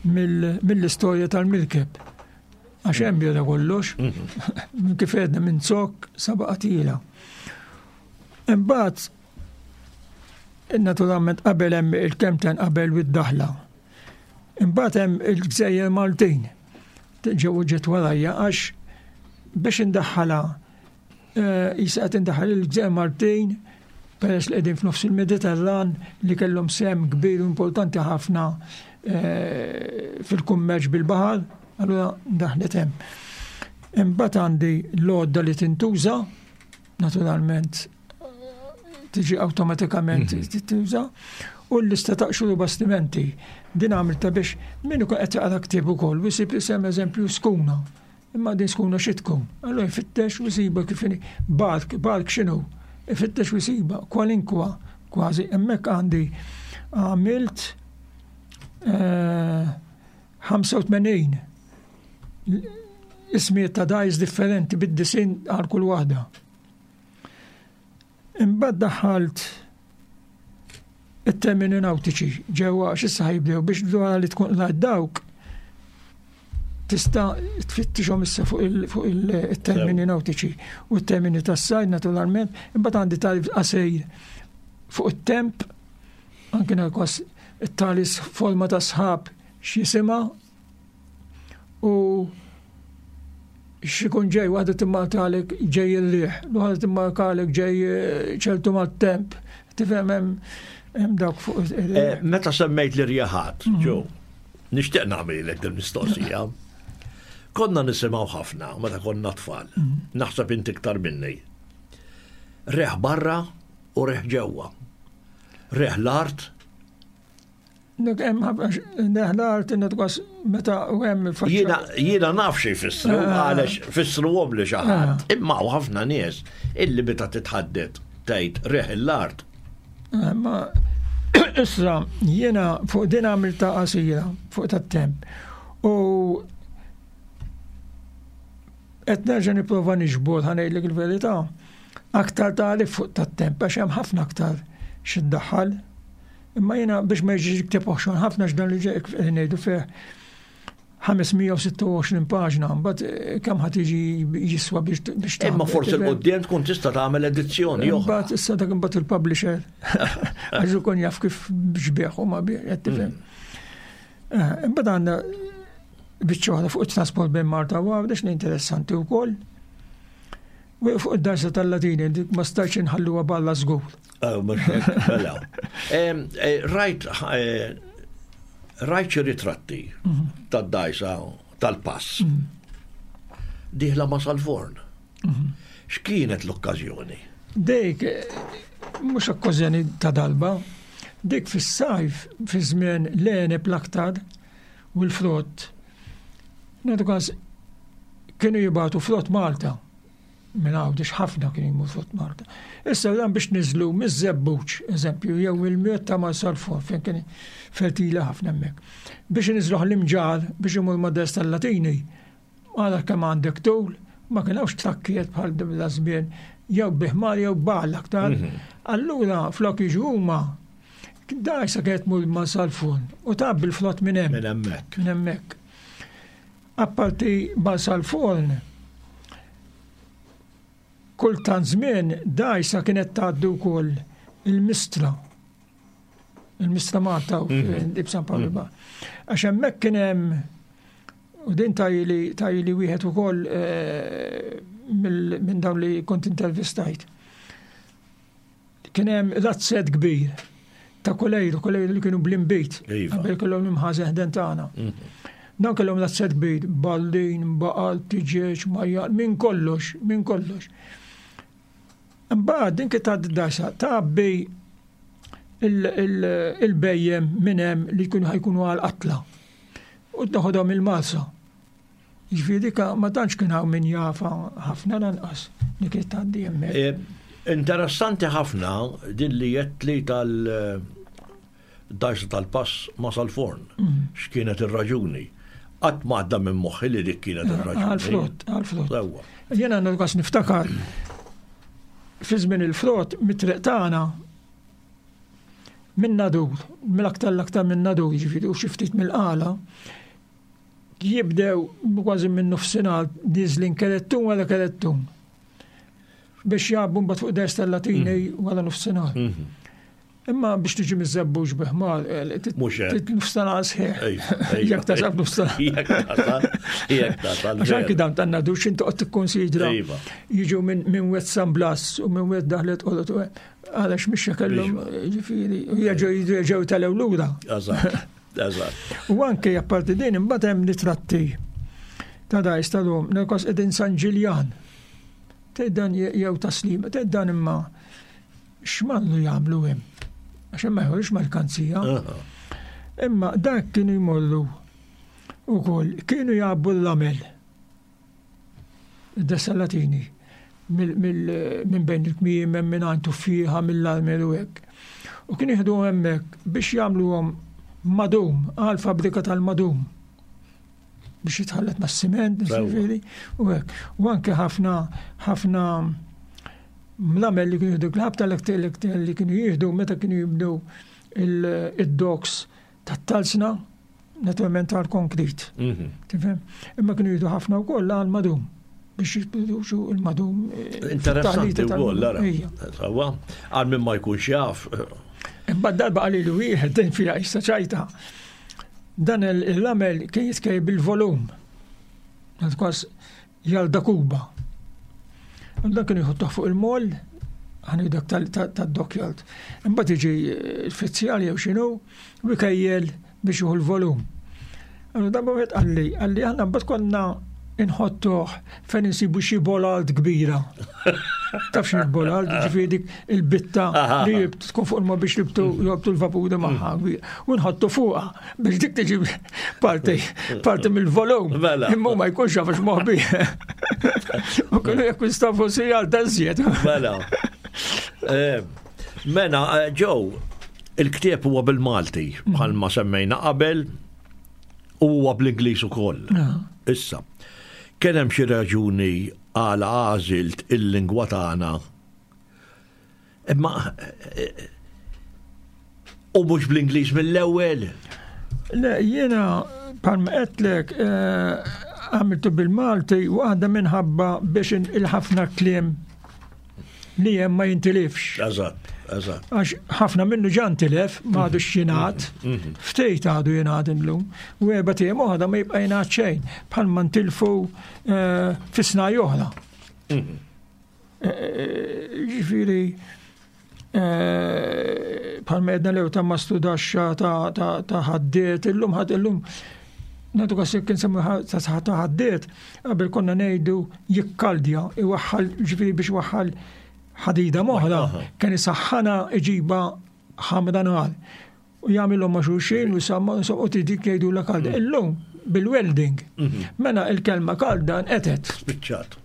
mill-istorja tal-mirkeb. Għax hemm beda kollox, mhm. kif għedna minn zokk saba qatila. Imbagħad Naturalment qabel hemm il-kemten qabel u d-daħla. Imbagħad hemm il-gżejjer Maltin ġew ġiet warajja għax biex indaħħalha eh, jisa qed indaħħal il-gżejjer Maltin peress li qegħdin f'nofs il-Mediterran li kellhom sehem kbir u importanti ħafna eh, fil-kummerċ bil-baħar, allura daħlet hemm. Imbagħad għandi l-għodda li tintuża naturalment tiġi awtomatikament mhm. tintuża u l-lista ta' xuru bastimenti. Din għamilta biex min ikun qed jaqra ktieb ukoll u jsib isem eżempju skuna. Imma din skuna xi tkun. Allura jfittex u jsiba kif bark, bark x'inhu? Ifittex u jsiba kwalinkwa kważi hemmhekk għandi għamilt 85 eh, ismijiet ta' dajs differenti bid-disin għal kull waħda. Imbagħad daħħalt it-termini nautiċi ġewwa għax issa ħajbdew biex dwar li tkun qlajt dawk tista' tfittixhom issa fuq il-termini nautiċi u t-termini tas-sajd naturalment, imbagħad għandi tarif qasir fuq it-temp, anke kwas it-tali forma ta' sħab x'jisimha u x'ikun ġej waħda timmarkalek ġej il-riħ, l-oħra timmarkalek ġej eh, ċertu mat-temp. Tifhem hemm dawk fuq. Eh, meta semmejt l-irjaħat, mhm. ġo, nixtieq nagħmilek din mistoqsija. Konna nisimgħu ħafna meta konna tfal, mhm. naħseb inti iktar minni. Reħ barra u reħ ġewwa. Reħ l-art Jiena naf xi jfissru, ah. għalex fissru għom li xi ħadd. Ah. Imma u ħafna nies illi meta titħaddet tgħid reħ l-art. Ah, ma issa jiena fuq din għamilta qasira fuq tat-temp. U qed nerġa' nipprova niġbor ħanejlek il-verità aktar tagħrif fuq tat-temp għax hemm ħafna aktar xi ddaħħal. Imma jiena biex ma jiġix ktieb oħxon ħafna x'dan li ġej qegħdin ngħidu fih 526 paġna, mbagħad eh, kemm ħad jiġi jiswa biex biex Imma forsi l-qudiem tkun tista' tagħmel edizzjoni oħra. Mbagħad issa dak imbagħad il-publisher għax ikun jaf kif biex u ma biex qed tifhem. Mm. Eh, imbagħad għandna biċċa oħra fuq it-trasport bejn Malta u Għawdex li interessanti wkoll. U fuq id-darsa tal-Latini, dik ma stajtx inħalluha balla żgur. Eh, mela. Rajt rajt xi ritratti mhm. tad-dajsa tal-pass. Mhm. Diħla ma sal-forn. Mhm. X'kienet l-okkażjoni? Dik mhux okkażjoni ta' dalba, dik fis-sajf fi żmien l-għeneb l-aktar u l-frott. Nagħtu każ kienu jibgħatu frott Malta. Minn Għawdex ħafna kienu jmur fuq Malta. Issa dan biex niżlu miż-Żebbuġ, eżempju, jew il-Miet ta' Marsalforn fejn kien fertila ħafna hemmhekk. Biex iniżluh l-Imġarr biex imur ma' Ders tal-Latini, ara kemm għandek tul, ma kien hawnx trakkijiet bħal da żmien jew bi ħmar jew b'għal aktar. Mhm. Allura flok jiġu huma dgħajsa kienet tmur Marsalforn u tgħabbi l-frott minn hemm. Minn hemmhekk. Minn hemmhekk. Apparti Marsalforn, kultant żmien dgħajsa kienet tgħaddi wkoll il-Mistra. Il-Mistra Malta u mhm. San Pawl mhm. Għax hemmhekk kien hemm u din tajli tajli wieħed ukoll eh, minn dawn li kont intervistajt. Kien hemm razzett kbir ta' kolejru, kolejru li kienu bl-inbid, iva. qabel kellhom l-imħażen ħden tagħna. Mhm. Dan kellhom razzett kbir, ballin, baqal, tiġieġ, majjal, minn kollox, minn kollox. Imbagħad din kif tgħaddi dasa tgħabbi il-bejjem minn hemm li jkunu ħajkunu għal qatla. U toħodhom il-Malsa. Jiġifieri dik ma tantx kien hawn min jafha ħafna lanqas li kienet tgħaddi hemmhekk. E, interessanti ħafna din li għedtli tal dajsa tal-pass ma sal-forn. Mm. X'kienet ir-raġuni? Qatt ma għadda minn moħħi li dik kienet eh, ir-raġuni. Għal-frott, għal-frott. Jiena għandu kas niftakar fi żmien il-frott mit-triq tagħna minn nadur, mill-aktar l-aktar minn nadur, jiġifieri u xi ftit mill-qala, jibdew kważi minn nofsinhar niżlin kerettun wara kerettun biex jgħabbu mbagħad fuq ders tal-Latini mm. wara nofsinhar. Mm-hmm. Imma biex tiġi miż-żebbuġ biħmar, eh, nofsinhar sħiħ. Jekk tasal nofsinhar. Jekk tasal, jekk tasal. Għax anki dan tan nadux inti qed tikkonsidra. Iva. Jiġu minn wet San Blas u minn wet daħlet qolot għalax mhix kellhom ġifieri, jerġgħu tal lura. Eżatt. U anke apparti din imbagħad hemm ritratti ta' dajs tal-lum, nilkos qegħdin San Ġiljan. Tgħid dan jew taslima, tgħid dan imma x'mallu jagħmlu hemm. Għax hemm ma jħorġ merkanzija. Imma dak kienu jmorru ukoll kienu jgħabbu l-lamel. Id-Dessalatini minn bejn il-kmiem hemm minn għand tuffieħa mill-armel u hekk. U kien jieħdu hemmhekk biex jagħmluhom madum għal fabbrika tal-madum biex jitħallet mas-siment, ġifieri, u hekk. U anke ħafna ħafna mlamel li kienu jieħdu l-ħabta li kienu jieħdu meta kienu jibnu il-docks tat-talsna naturalment għal konkrit. Mhm. Tifhem? Imma kienu jieħdu ħafna wkoll għal madum biex jipproduċu il-madum. Eh, Interessanti wkoll, ara. Sawa, għal min ma jkunx jaf. Imma darba għalli li wieħed din fiha issa ċajta. Dan il-lamel kien jitkej bil-volum. Kwas Jalda Kuba. Dan kienu jħottuh fuq il-moll, ħani dak tad-dockyard. Imbagħad jiġi l-fizzjal jew x'inhu, u jkejjel biex jieħu l-volum. Allura darba wieħed qalli, qalli aħna mbagħad konna inħottuh fejn insibu xi bolalt kbira. Taf xi bolalt, ġifieri dik il-bitta li tkun fuq il-mod biex jibtu jobtu l-vapuri magħha. U nħottu fuqha. Biex dik tiġi parti, parti mill-volum. Mela. Imma ma jkunx għax moħbi. U kienu jakkwistaw forsi għal tażjed. Mela. Eh, mela, eh, Joe, il-ktieb huwa bil-Malti, bħalma semmejna qabel, u huwa bl-Ingliż ukoll. Ah. Issa, kien hemm xi raġuni għala għażilt il-lingwa tagħna Imma u mhux bl-Ingliż mill-ewwel. Le, jiena bħalma qedtlek eh, għamiltu bil-Malti waħda minħabba biex il-ħafna kliem li hemm ma jintilifx. Eżatt, eżatt. Għax ħafna minnu ġa ntilef, ma għadux jingħad, mhm. ftejt għadu jingħad illum, u erba' tiem oħra ma jibqa' jingħad xejn, bħalma ntilfu eh, fisna oħra. Mhm. Eh, eh, ġifieri bħalma jedna lew ta' mastudaxxa ta' ħaddiet, illum ħadd illum nagħtu kas jekk insemmu ta' ħaddiet, qabel konna ngħidu jikkaldja, iwaħħal ġifieri biex waħħal ħadida moħra, kien isaħħana iġiba ħamra nar. U jagħmilhom ma' xulxin u samma u dik jgħidu la kalda. Mm. Illum bil-welding. Mhm. Mela il-kelma kalda nqetet. Spiċċat.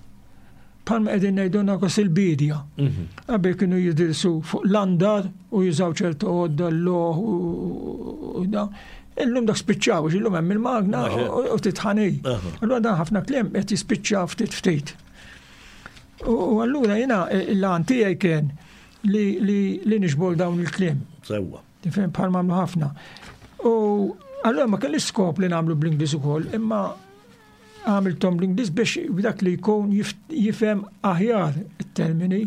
Palma qegħdin ngħidu nagħkos il-bidja. Mhm. Qabel kienu jidirsu fuq l-andar u jużaw ċertu għodda l-loħ u da. Illum dak spiċċaw, illum hemm il-magna u titħani. Allura dan ħafna kliem qed jispiċċa ftit ftit. U allura jiena l-għan tiegħi kien li nixbol dawn il-kliem. Sewwa. Tifhem bħal m'għamlu ħafna. U allura ma kellix skop li nagħmlu bl-Ingliż ukoll, imma għamiltom bl-Ingliż biex dak li jkun jifhem aħjar it-termini.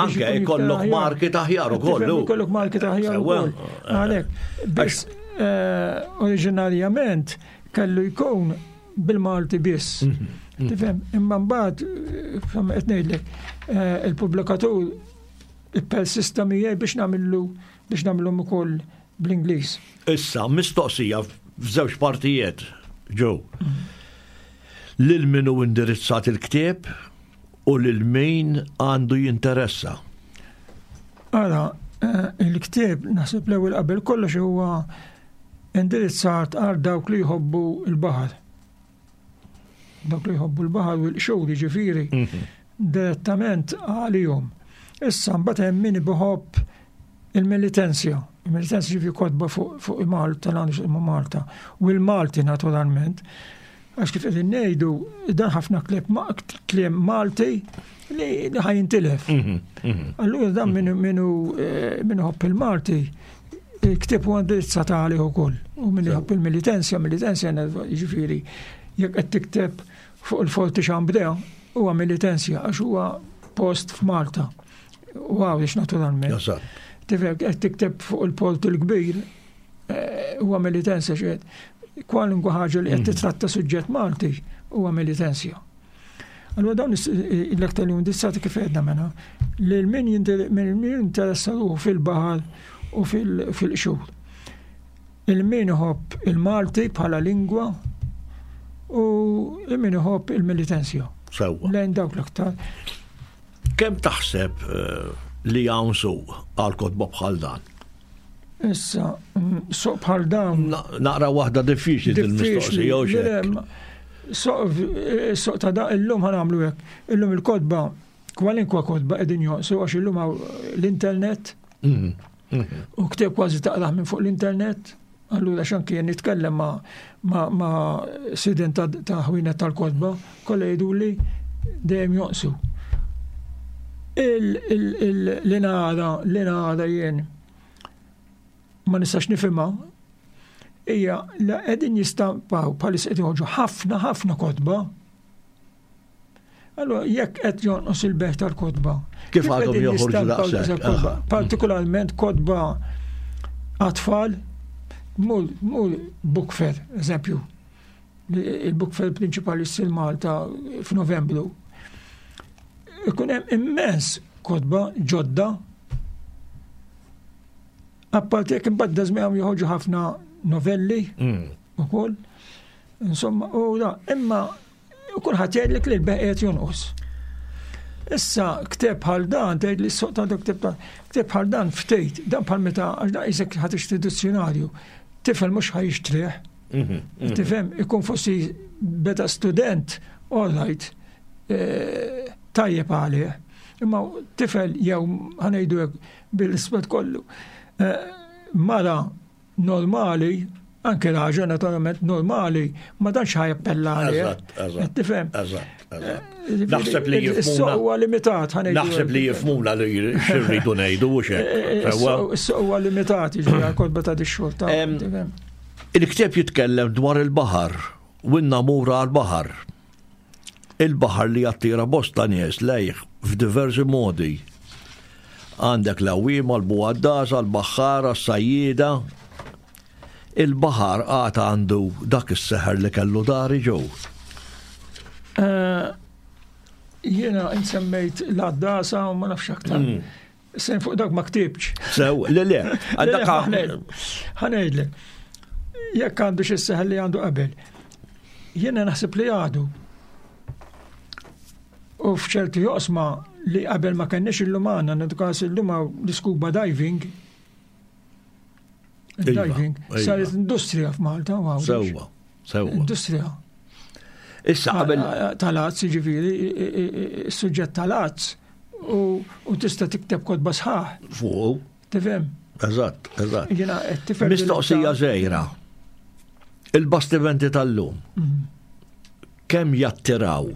Anke jkollok market aħjar ukoll. Jkollok market aħjar ukoll. Għalhekk, biss eh, oriġinarjament kellu jkun bil-Malti biss. Mhm, mhm. Tifhem, imma mbagħad eh, qed ngħidlek eh, il-pubblikatur ippersista miegħi biex nagħmillu biex nagħmilhom ukoll bl-Ingliż. Issa, mistoqsija f'żewġ partijiet, ġew. Lil min hu indirizzat il-ktieb u lil min għandu jinteressa. Ara, eh, il-ktieb naħseb l-ewwel qabel kollox huwa indirizzat għal dawk li jħobbu l-baħar. Dawk li jħobbu l-baħar u l-qxur jiġifieri mhm. direttament għalihom. Issa mbagħad hemm min iħobb il-militenzja. Il-militenzja ġifieri kotba fuq il-Malta, l-għandu Malta. U l-Malti naturalment. Għax kif qegħdin ngħidu, dan ħafna kliem Malti li ħajintilef. Mhm, mhm. Allura dan minu eh, minu ħobb il-Malti, il-ktieb huwa indirizzat għalih ukoll. U min iħobb il-militenzja, militenzja jiġifieri jekk qed tikteb fuq il-Forti Xambrea, huwa militenzja għax huwa post f'Malta. U għawiex naturalment. Tifhem qed tikteb fuq il-Port il-Kbir, eh, huwa militenzja xed. Kwalunkwe ħaġa li qed mm. titratta suġġett Malti huwa militenzja. Allura dawn l-aktar li indirizzati kif għedna mela li min jinteressa ruħu fil-baħar u fil-qxur. Il-min iħobb il-Malti bħala lingwa u il-min iħobb il-militenzja. Sewwa. Lejn dawk l-aktar. Kemm taħseb eh, li hawn suq għal kotba bħal dan? Issa, mm, suq bħal dan. Naqra waħda diffiċli din mistoqsija u xek. Eh, suq ta' da illum ħanamlu hekk. Illum il-kotba, kwalinkwa kotba qegħdin jonqsu għax illum l-internet. Mm, mm. U ktieb kważi taqraħ minn fuq l-internet. Allura x'anki jien nitkellem ma' ma' ma' sidien ta' ta' ħwienet tal-kotba, kollha jgħiduli dejjem jonqsu. Il, il, il, li nara, li nara jien ma nistax nifhimha hija li qegħdin jistampaw bħalissa qed joħorġu ħafna ħafna kotba Allora, jekk qed jonqos il-beħ tal-kotba. Kif għadhom joħorġu daqshekk? Partikolarment kotba għat-tfal, mur book fair, eżempju. Il-book fair prinċipali ssir Malta f'Novembru. Ikun hemm immens kotba ġodda. Apparti jekk imbagħad dażmihom joħorġu ħafna novelli mm. ukoll. Insomma, u da, imma U kulħadd jgħidlek li l-beħ qiegħed jonqos. Issa kteb bħal dan, tgħid li s-soq ta' kteb ta' kteb bħal dan ftejt, dan bħal meta għax dan isek ħadd tixtri dizzjonarju, tifel mhux ħajixtrih. Mhm, mhm. Tifhem, ikun forsi beda student, all right, eh, tajjeb għalih. Imma tifel jew ħanejdu hekk bil-isbet kollu. Eh, mara normali, anke raġel naturalment normali, ma tantx ħa jappella għalih. Eżatt, eżatt. Tifhem? Eżatt, eżatt. Eh, Naħseb li jifhmuna. Huwa limitat ħa Naħseb li jifhmuna li xirridu ngħidu u xek. Eh, eh, is-suq huwa limitat, jiġifieri kodba ta' dix-xorta. Il-ktieb jitkellem dwar il-baħar u n-namura għall-baħar. Il-baħar li jattira bosta nies lejh f'diversi modi. Għandek l-għawwiema, l-bugħaddasa, l-baħħara, s-sajjieda. Il-baħar għad għandu dak is-seħer li kellu dari ġew. Eh, jiena insemmejt l-għaddasa u ma nafx aktar. Mm. Sen fuq dak ma ktibx. Sew, le le, għandak ħanejdlek. Jekk għandu xi seħel li għandu qabel. Jiena naħseb li għadu. U f'ċerti joqsma li qabel ma kenniex illum għandna, nadu illum l-scuba diving. Iva, diving iva. saret industrija f'Malta u Sewwa, sewwa. Industrija. Issa qabel tal-azz, ġifieri, is-suġġett tal-azz u tista' tikteb kotba sħaħ. Fuq. Tifhem? Eżatt, eżatt. Jiena qed tifhem. Mistoqsija żgħira. Il-bastimenti tal-lum. Mhm. Kemm jattiraw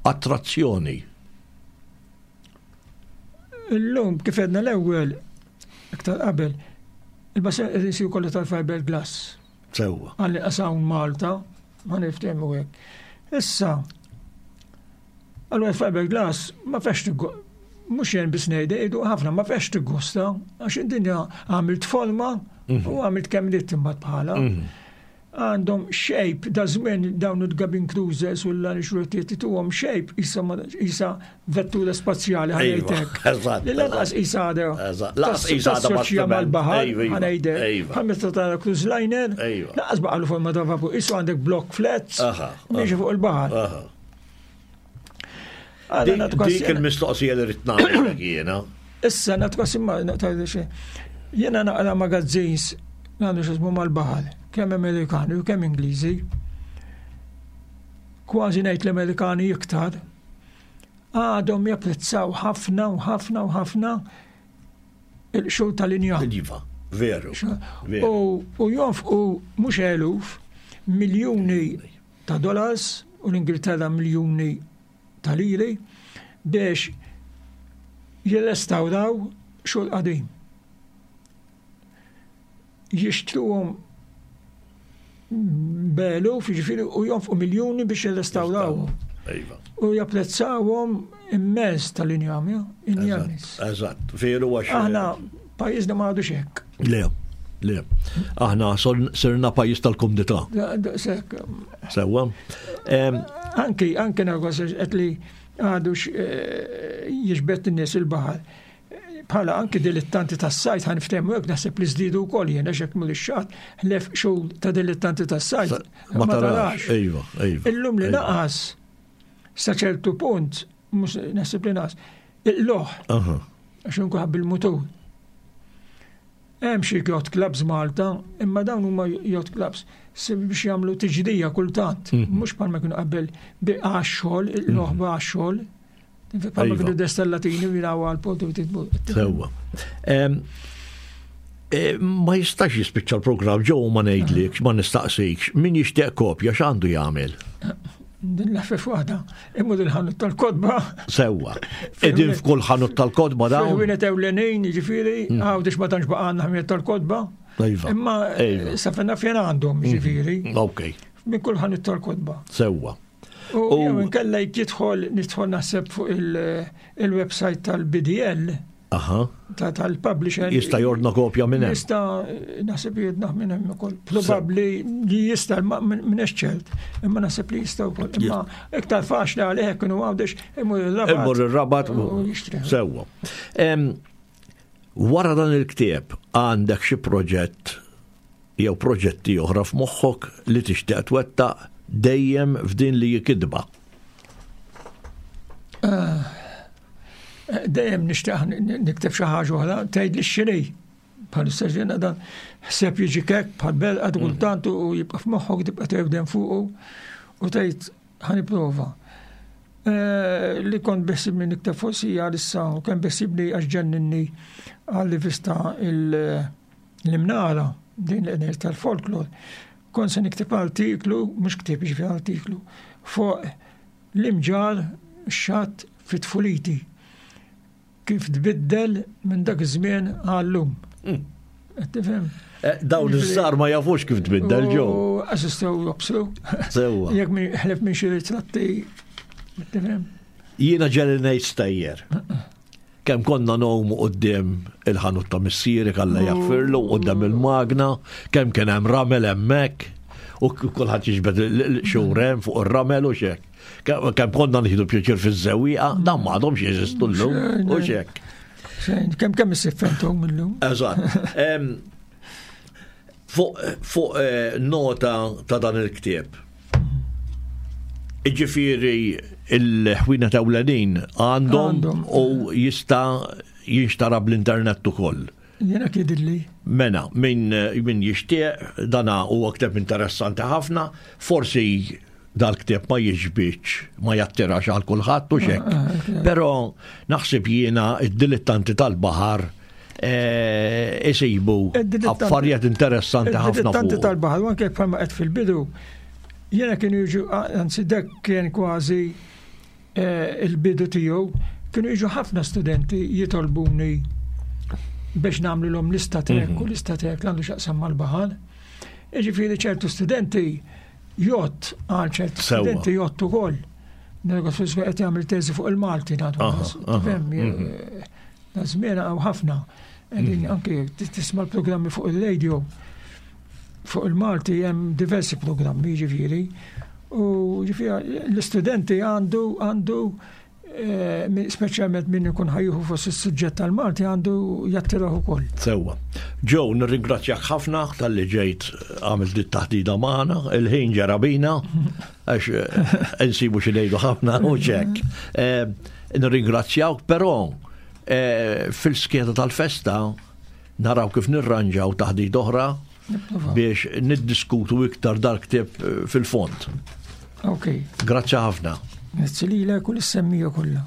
attrazzjoni? Illum kif għedna l-ewwel iktar qabel, il-bastimenti isiru kollha tal-fiberglass. Sewwa. Għalli qasawn Malta, ma niftehmu hekk. Issa, allura l-fiberglass ma fex mhux jien biss ngħidha, jgħidu ħafna ma fex tiggosta għax id-dinja għamilt forma mhm. u għamilt kemm ridt imbagħad bħala. Mhm. Għandhom shape da żmien dawn il-cabin cruisers u l-lanixrotiet tuhom shape isa vettura spazjali ħanejtek. Li lanqas isa għadha. Lanqas isa għadha tassoċja mal-baħar ħanejdek. Bħal meta tara cruise liner, lanqas baqalu forma ta' vapur. Isu għandek block flats, miexi fuq il-baħar. Dik il-mistoqsija li rrid nagħmel jiena. Issa nagħtu imma jiena naqra magazzins għandu x'ismu mal-baħar, kemm Amerikani u kemm Ingliżi. Kważi ngħid l-Amerikani iktar. Għadhom japprezzaw ħafna u ħafna u ħafna il-qxur tal-injam. Iva, veru. U jonfqu mhux eluf, miljuni ta' dollars u l-Ingilterra miljuni ta' liri biex jirrestawraw xogħol qadim. Jixtruhom b'eluf, jiġifieri u jonfqu miljuni biex jirrestawrawhom. Iva. U japprezzawhom immens tal-injam, injam. Eżatt, veru għax. Aħna pajjiżna ma għadux hekk. Le, le. Aħna sirna pajjiż tal-kumdità. Sewwa. Anki, anki nagħgos qed li għadux eh, jiġbed in-nies il-baħar. Bħala anki dilettanti tas-sajt ħan ftehmu hekk naħseb li żdiedu wkoll jien għax hekk mhux xatt ħlef xogħol ta' dilettanti tas-sajt. Ma tarax. Iva, iva. Illum li naqas sa ċertu punt, mhux naħseb li naqas, il-loħ. Għax nkun bil-mutur. Hemm xi yacht clubs Malta, imma dawn huma yacht clubs biex jagħmlu tiġdija kultant, mhm. mhux bħalma kienu qabel għax-xogħol, il-loħba mhm. għax-xogħol. Bħalma iva. kienu destellatini jilgħu għal portu Sewwa. E, ma jistax jispiċċa l-programm ġew ma ngħidlikx, ma nistaqsikx, min jixtieq kopja x'għandu jagħmel? Din l-ħfif waħda, imur il-ħanut tal-kodba. Sewwa. Edin f'kull ħanut tal-kodba dawn. Wienet ewlenin, jiġifieri, mm. għawdex ma tantx baqa' għandna ħmiet tal-kodba. Iva. Imma iva. sa fejn naf għandhom, mm. jiġifieri. Ok. Minn kull ħanut tal-kodba. Sewwa. U jew inkella jidħol nidħol naħseb fuq il-website tal-BDL. Aha. Ta' tal-publisher. Jista' jordna kopja minn hemm. Jista' naħseb jordna minn hemm ukoll. Probabbli li jista' minn ċert, imma naħseb li jista' wkoll. Imma iktar faċli għalih hekk kienu għawdex imur ir-rabat. Imur ir-rabat sewwa. Wara dan il-ktieb għandek xi proġett jew proġetti oħra f'moħħok li tixtieq twettaq dejjem f'din li kitba? Eh, dejjem nixtieq nikteb xi ħaġa oħra, tgħid li x'inhi. Bħalissa ġena dan ħseb jiġi kek bħal belqa mm. kultant u jibqa' f'moħħok tibqa' tgħidem fuqu u tgħid ħa nipprova. Eh, li kont beħsibni nikteb forsi għalissa u kemm beħsibni għax ġenninni għal-rivista l-imnara din l tal-folklor. Kont se nikteb artiklu, mhux ktieb ġifieri artiklu, fuq l-imġar xatt fi tfuliti kif tbiddel minn dak iż-żmien għallum. Mm. Tifhem? Eh, dawn iż-żar ma jafux kif tbiddel ġew. Assistew jobsru. Sewwa. Jekk ħlef minn xi ritratti. Tifhem? Jiena ġeli ngħid stejjer. Kemm konna ngħumu quddiem il-ħanut ta' missieri kalla jaħfirlu quddiem il-magna, kemm kien hemm ramel hemmhekk u kulħadd jiġbed xurem fuq ir-ramel u xek. Kemm konna nieħdu pjaċir fiż-żewwieqa, dan m'għadhomx jeżistu llum u xek. Kemm kemm issifentom illum. Eżatt. Fuq eh, nota ta' dan il-ktieb. Iġifieri il-ħwienet ewlenin għandhom u jista' jinxtara bl-internet ukoll. Jiena kidilli. Mena, min, min jixtieq, dana huwa ktieb interessanti ħafna, forsi dal-ktieb ma jiġbidx, ma jattirax għal kulħadd u xek. Ah, ah, Però naħseb jiena id-dilettanti tal-baħar eh, isibu affarijiet interessanti ħafna. Id-dilettanti tal-baħar, u anke bħalma qed fil-bidu, jiena kienu jiġu, anzi dek kien kważi eh, il-bidu tiegħu, kienu jiġu ħafna studenti jitolbuni biex nagħmlu l-om lista tek mhm. u lista tek l-għandu xaqsam mal-baħar. Iġifieri ċertu studenti Jgħodd għal ċerti studenti jgħodd ukoll. Negozju qed jagħmel teżi fuq il-Malti nagħtu. Fem, mhm. da żmien hawn ħafna. Qegħdin mhm. anke tisma' l-programmi fuq il-radio fuq il-Malti hemm diversi programmi ġifieri. U ġifieri l-istudenti għandu għandu Eh, speċjalment min ikun ħajjuħu fost is-suġġett tal-Malti għandu jattiraħ ukoll. Sewwa. Joe, nirringrazzjak ħafna tal-li ġejt għamil dit taħdida magħna, il-ħin ġara bina, għax eh, insibu xi ngħidu ħafna u ċek. Eh, nirringrazzjawk, però fil-skeda tal-festa naraw kif nirranġaw taħdid oħra biex niddiskutu iktar dal-ktieb eh, fil-fond. Ok. Grazzi ħafna. Grazzi lilek u l-semmija kollha.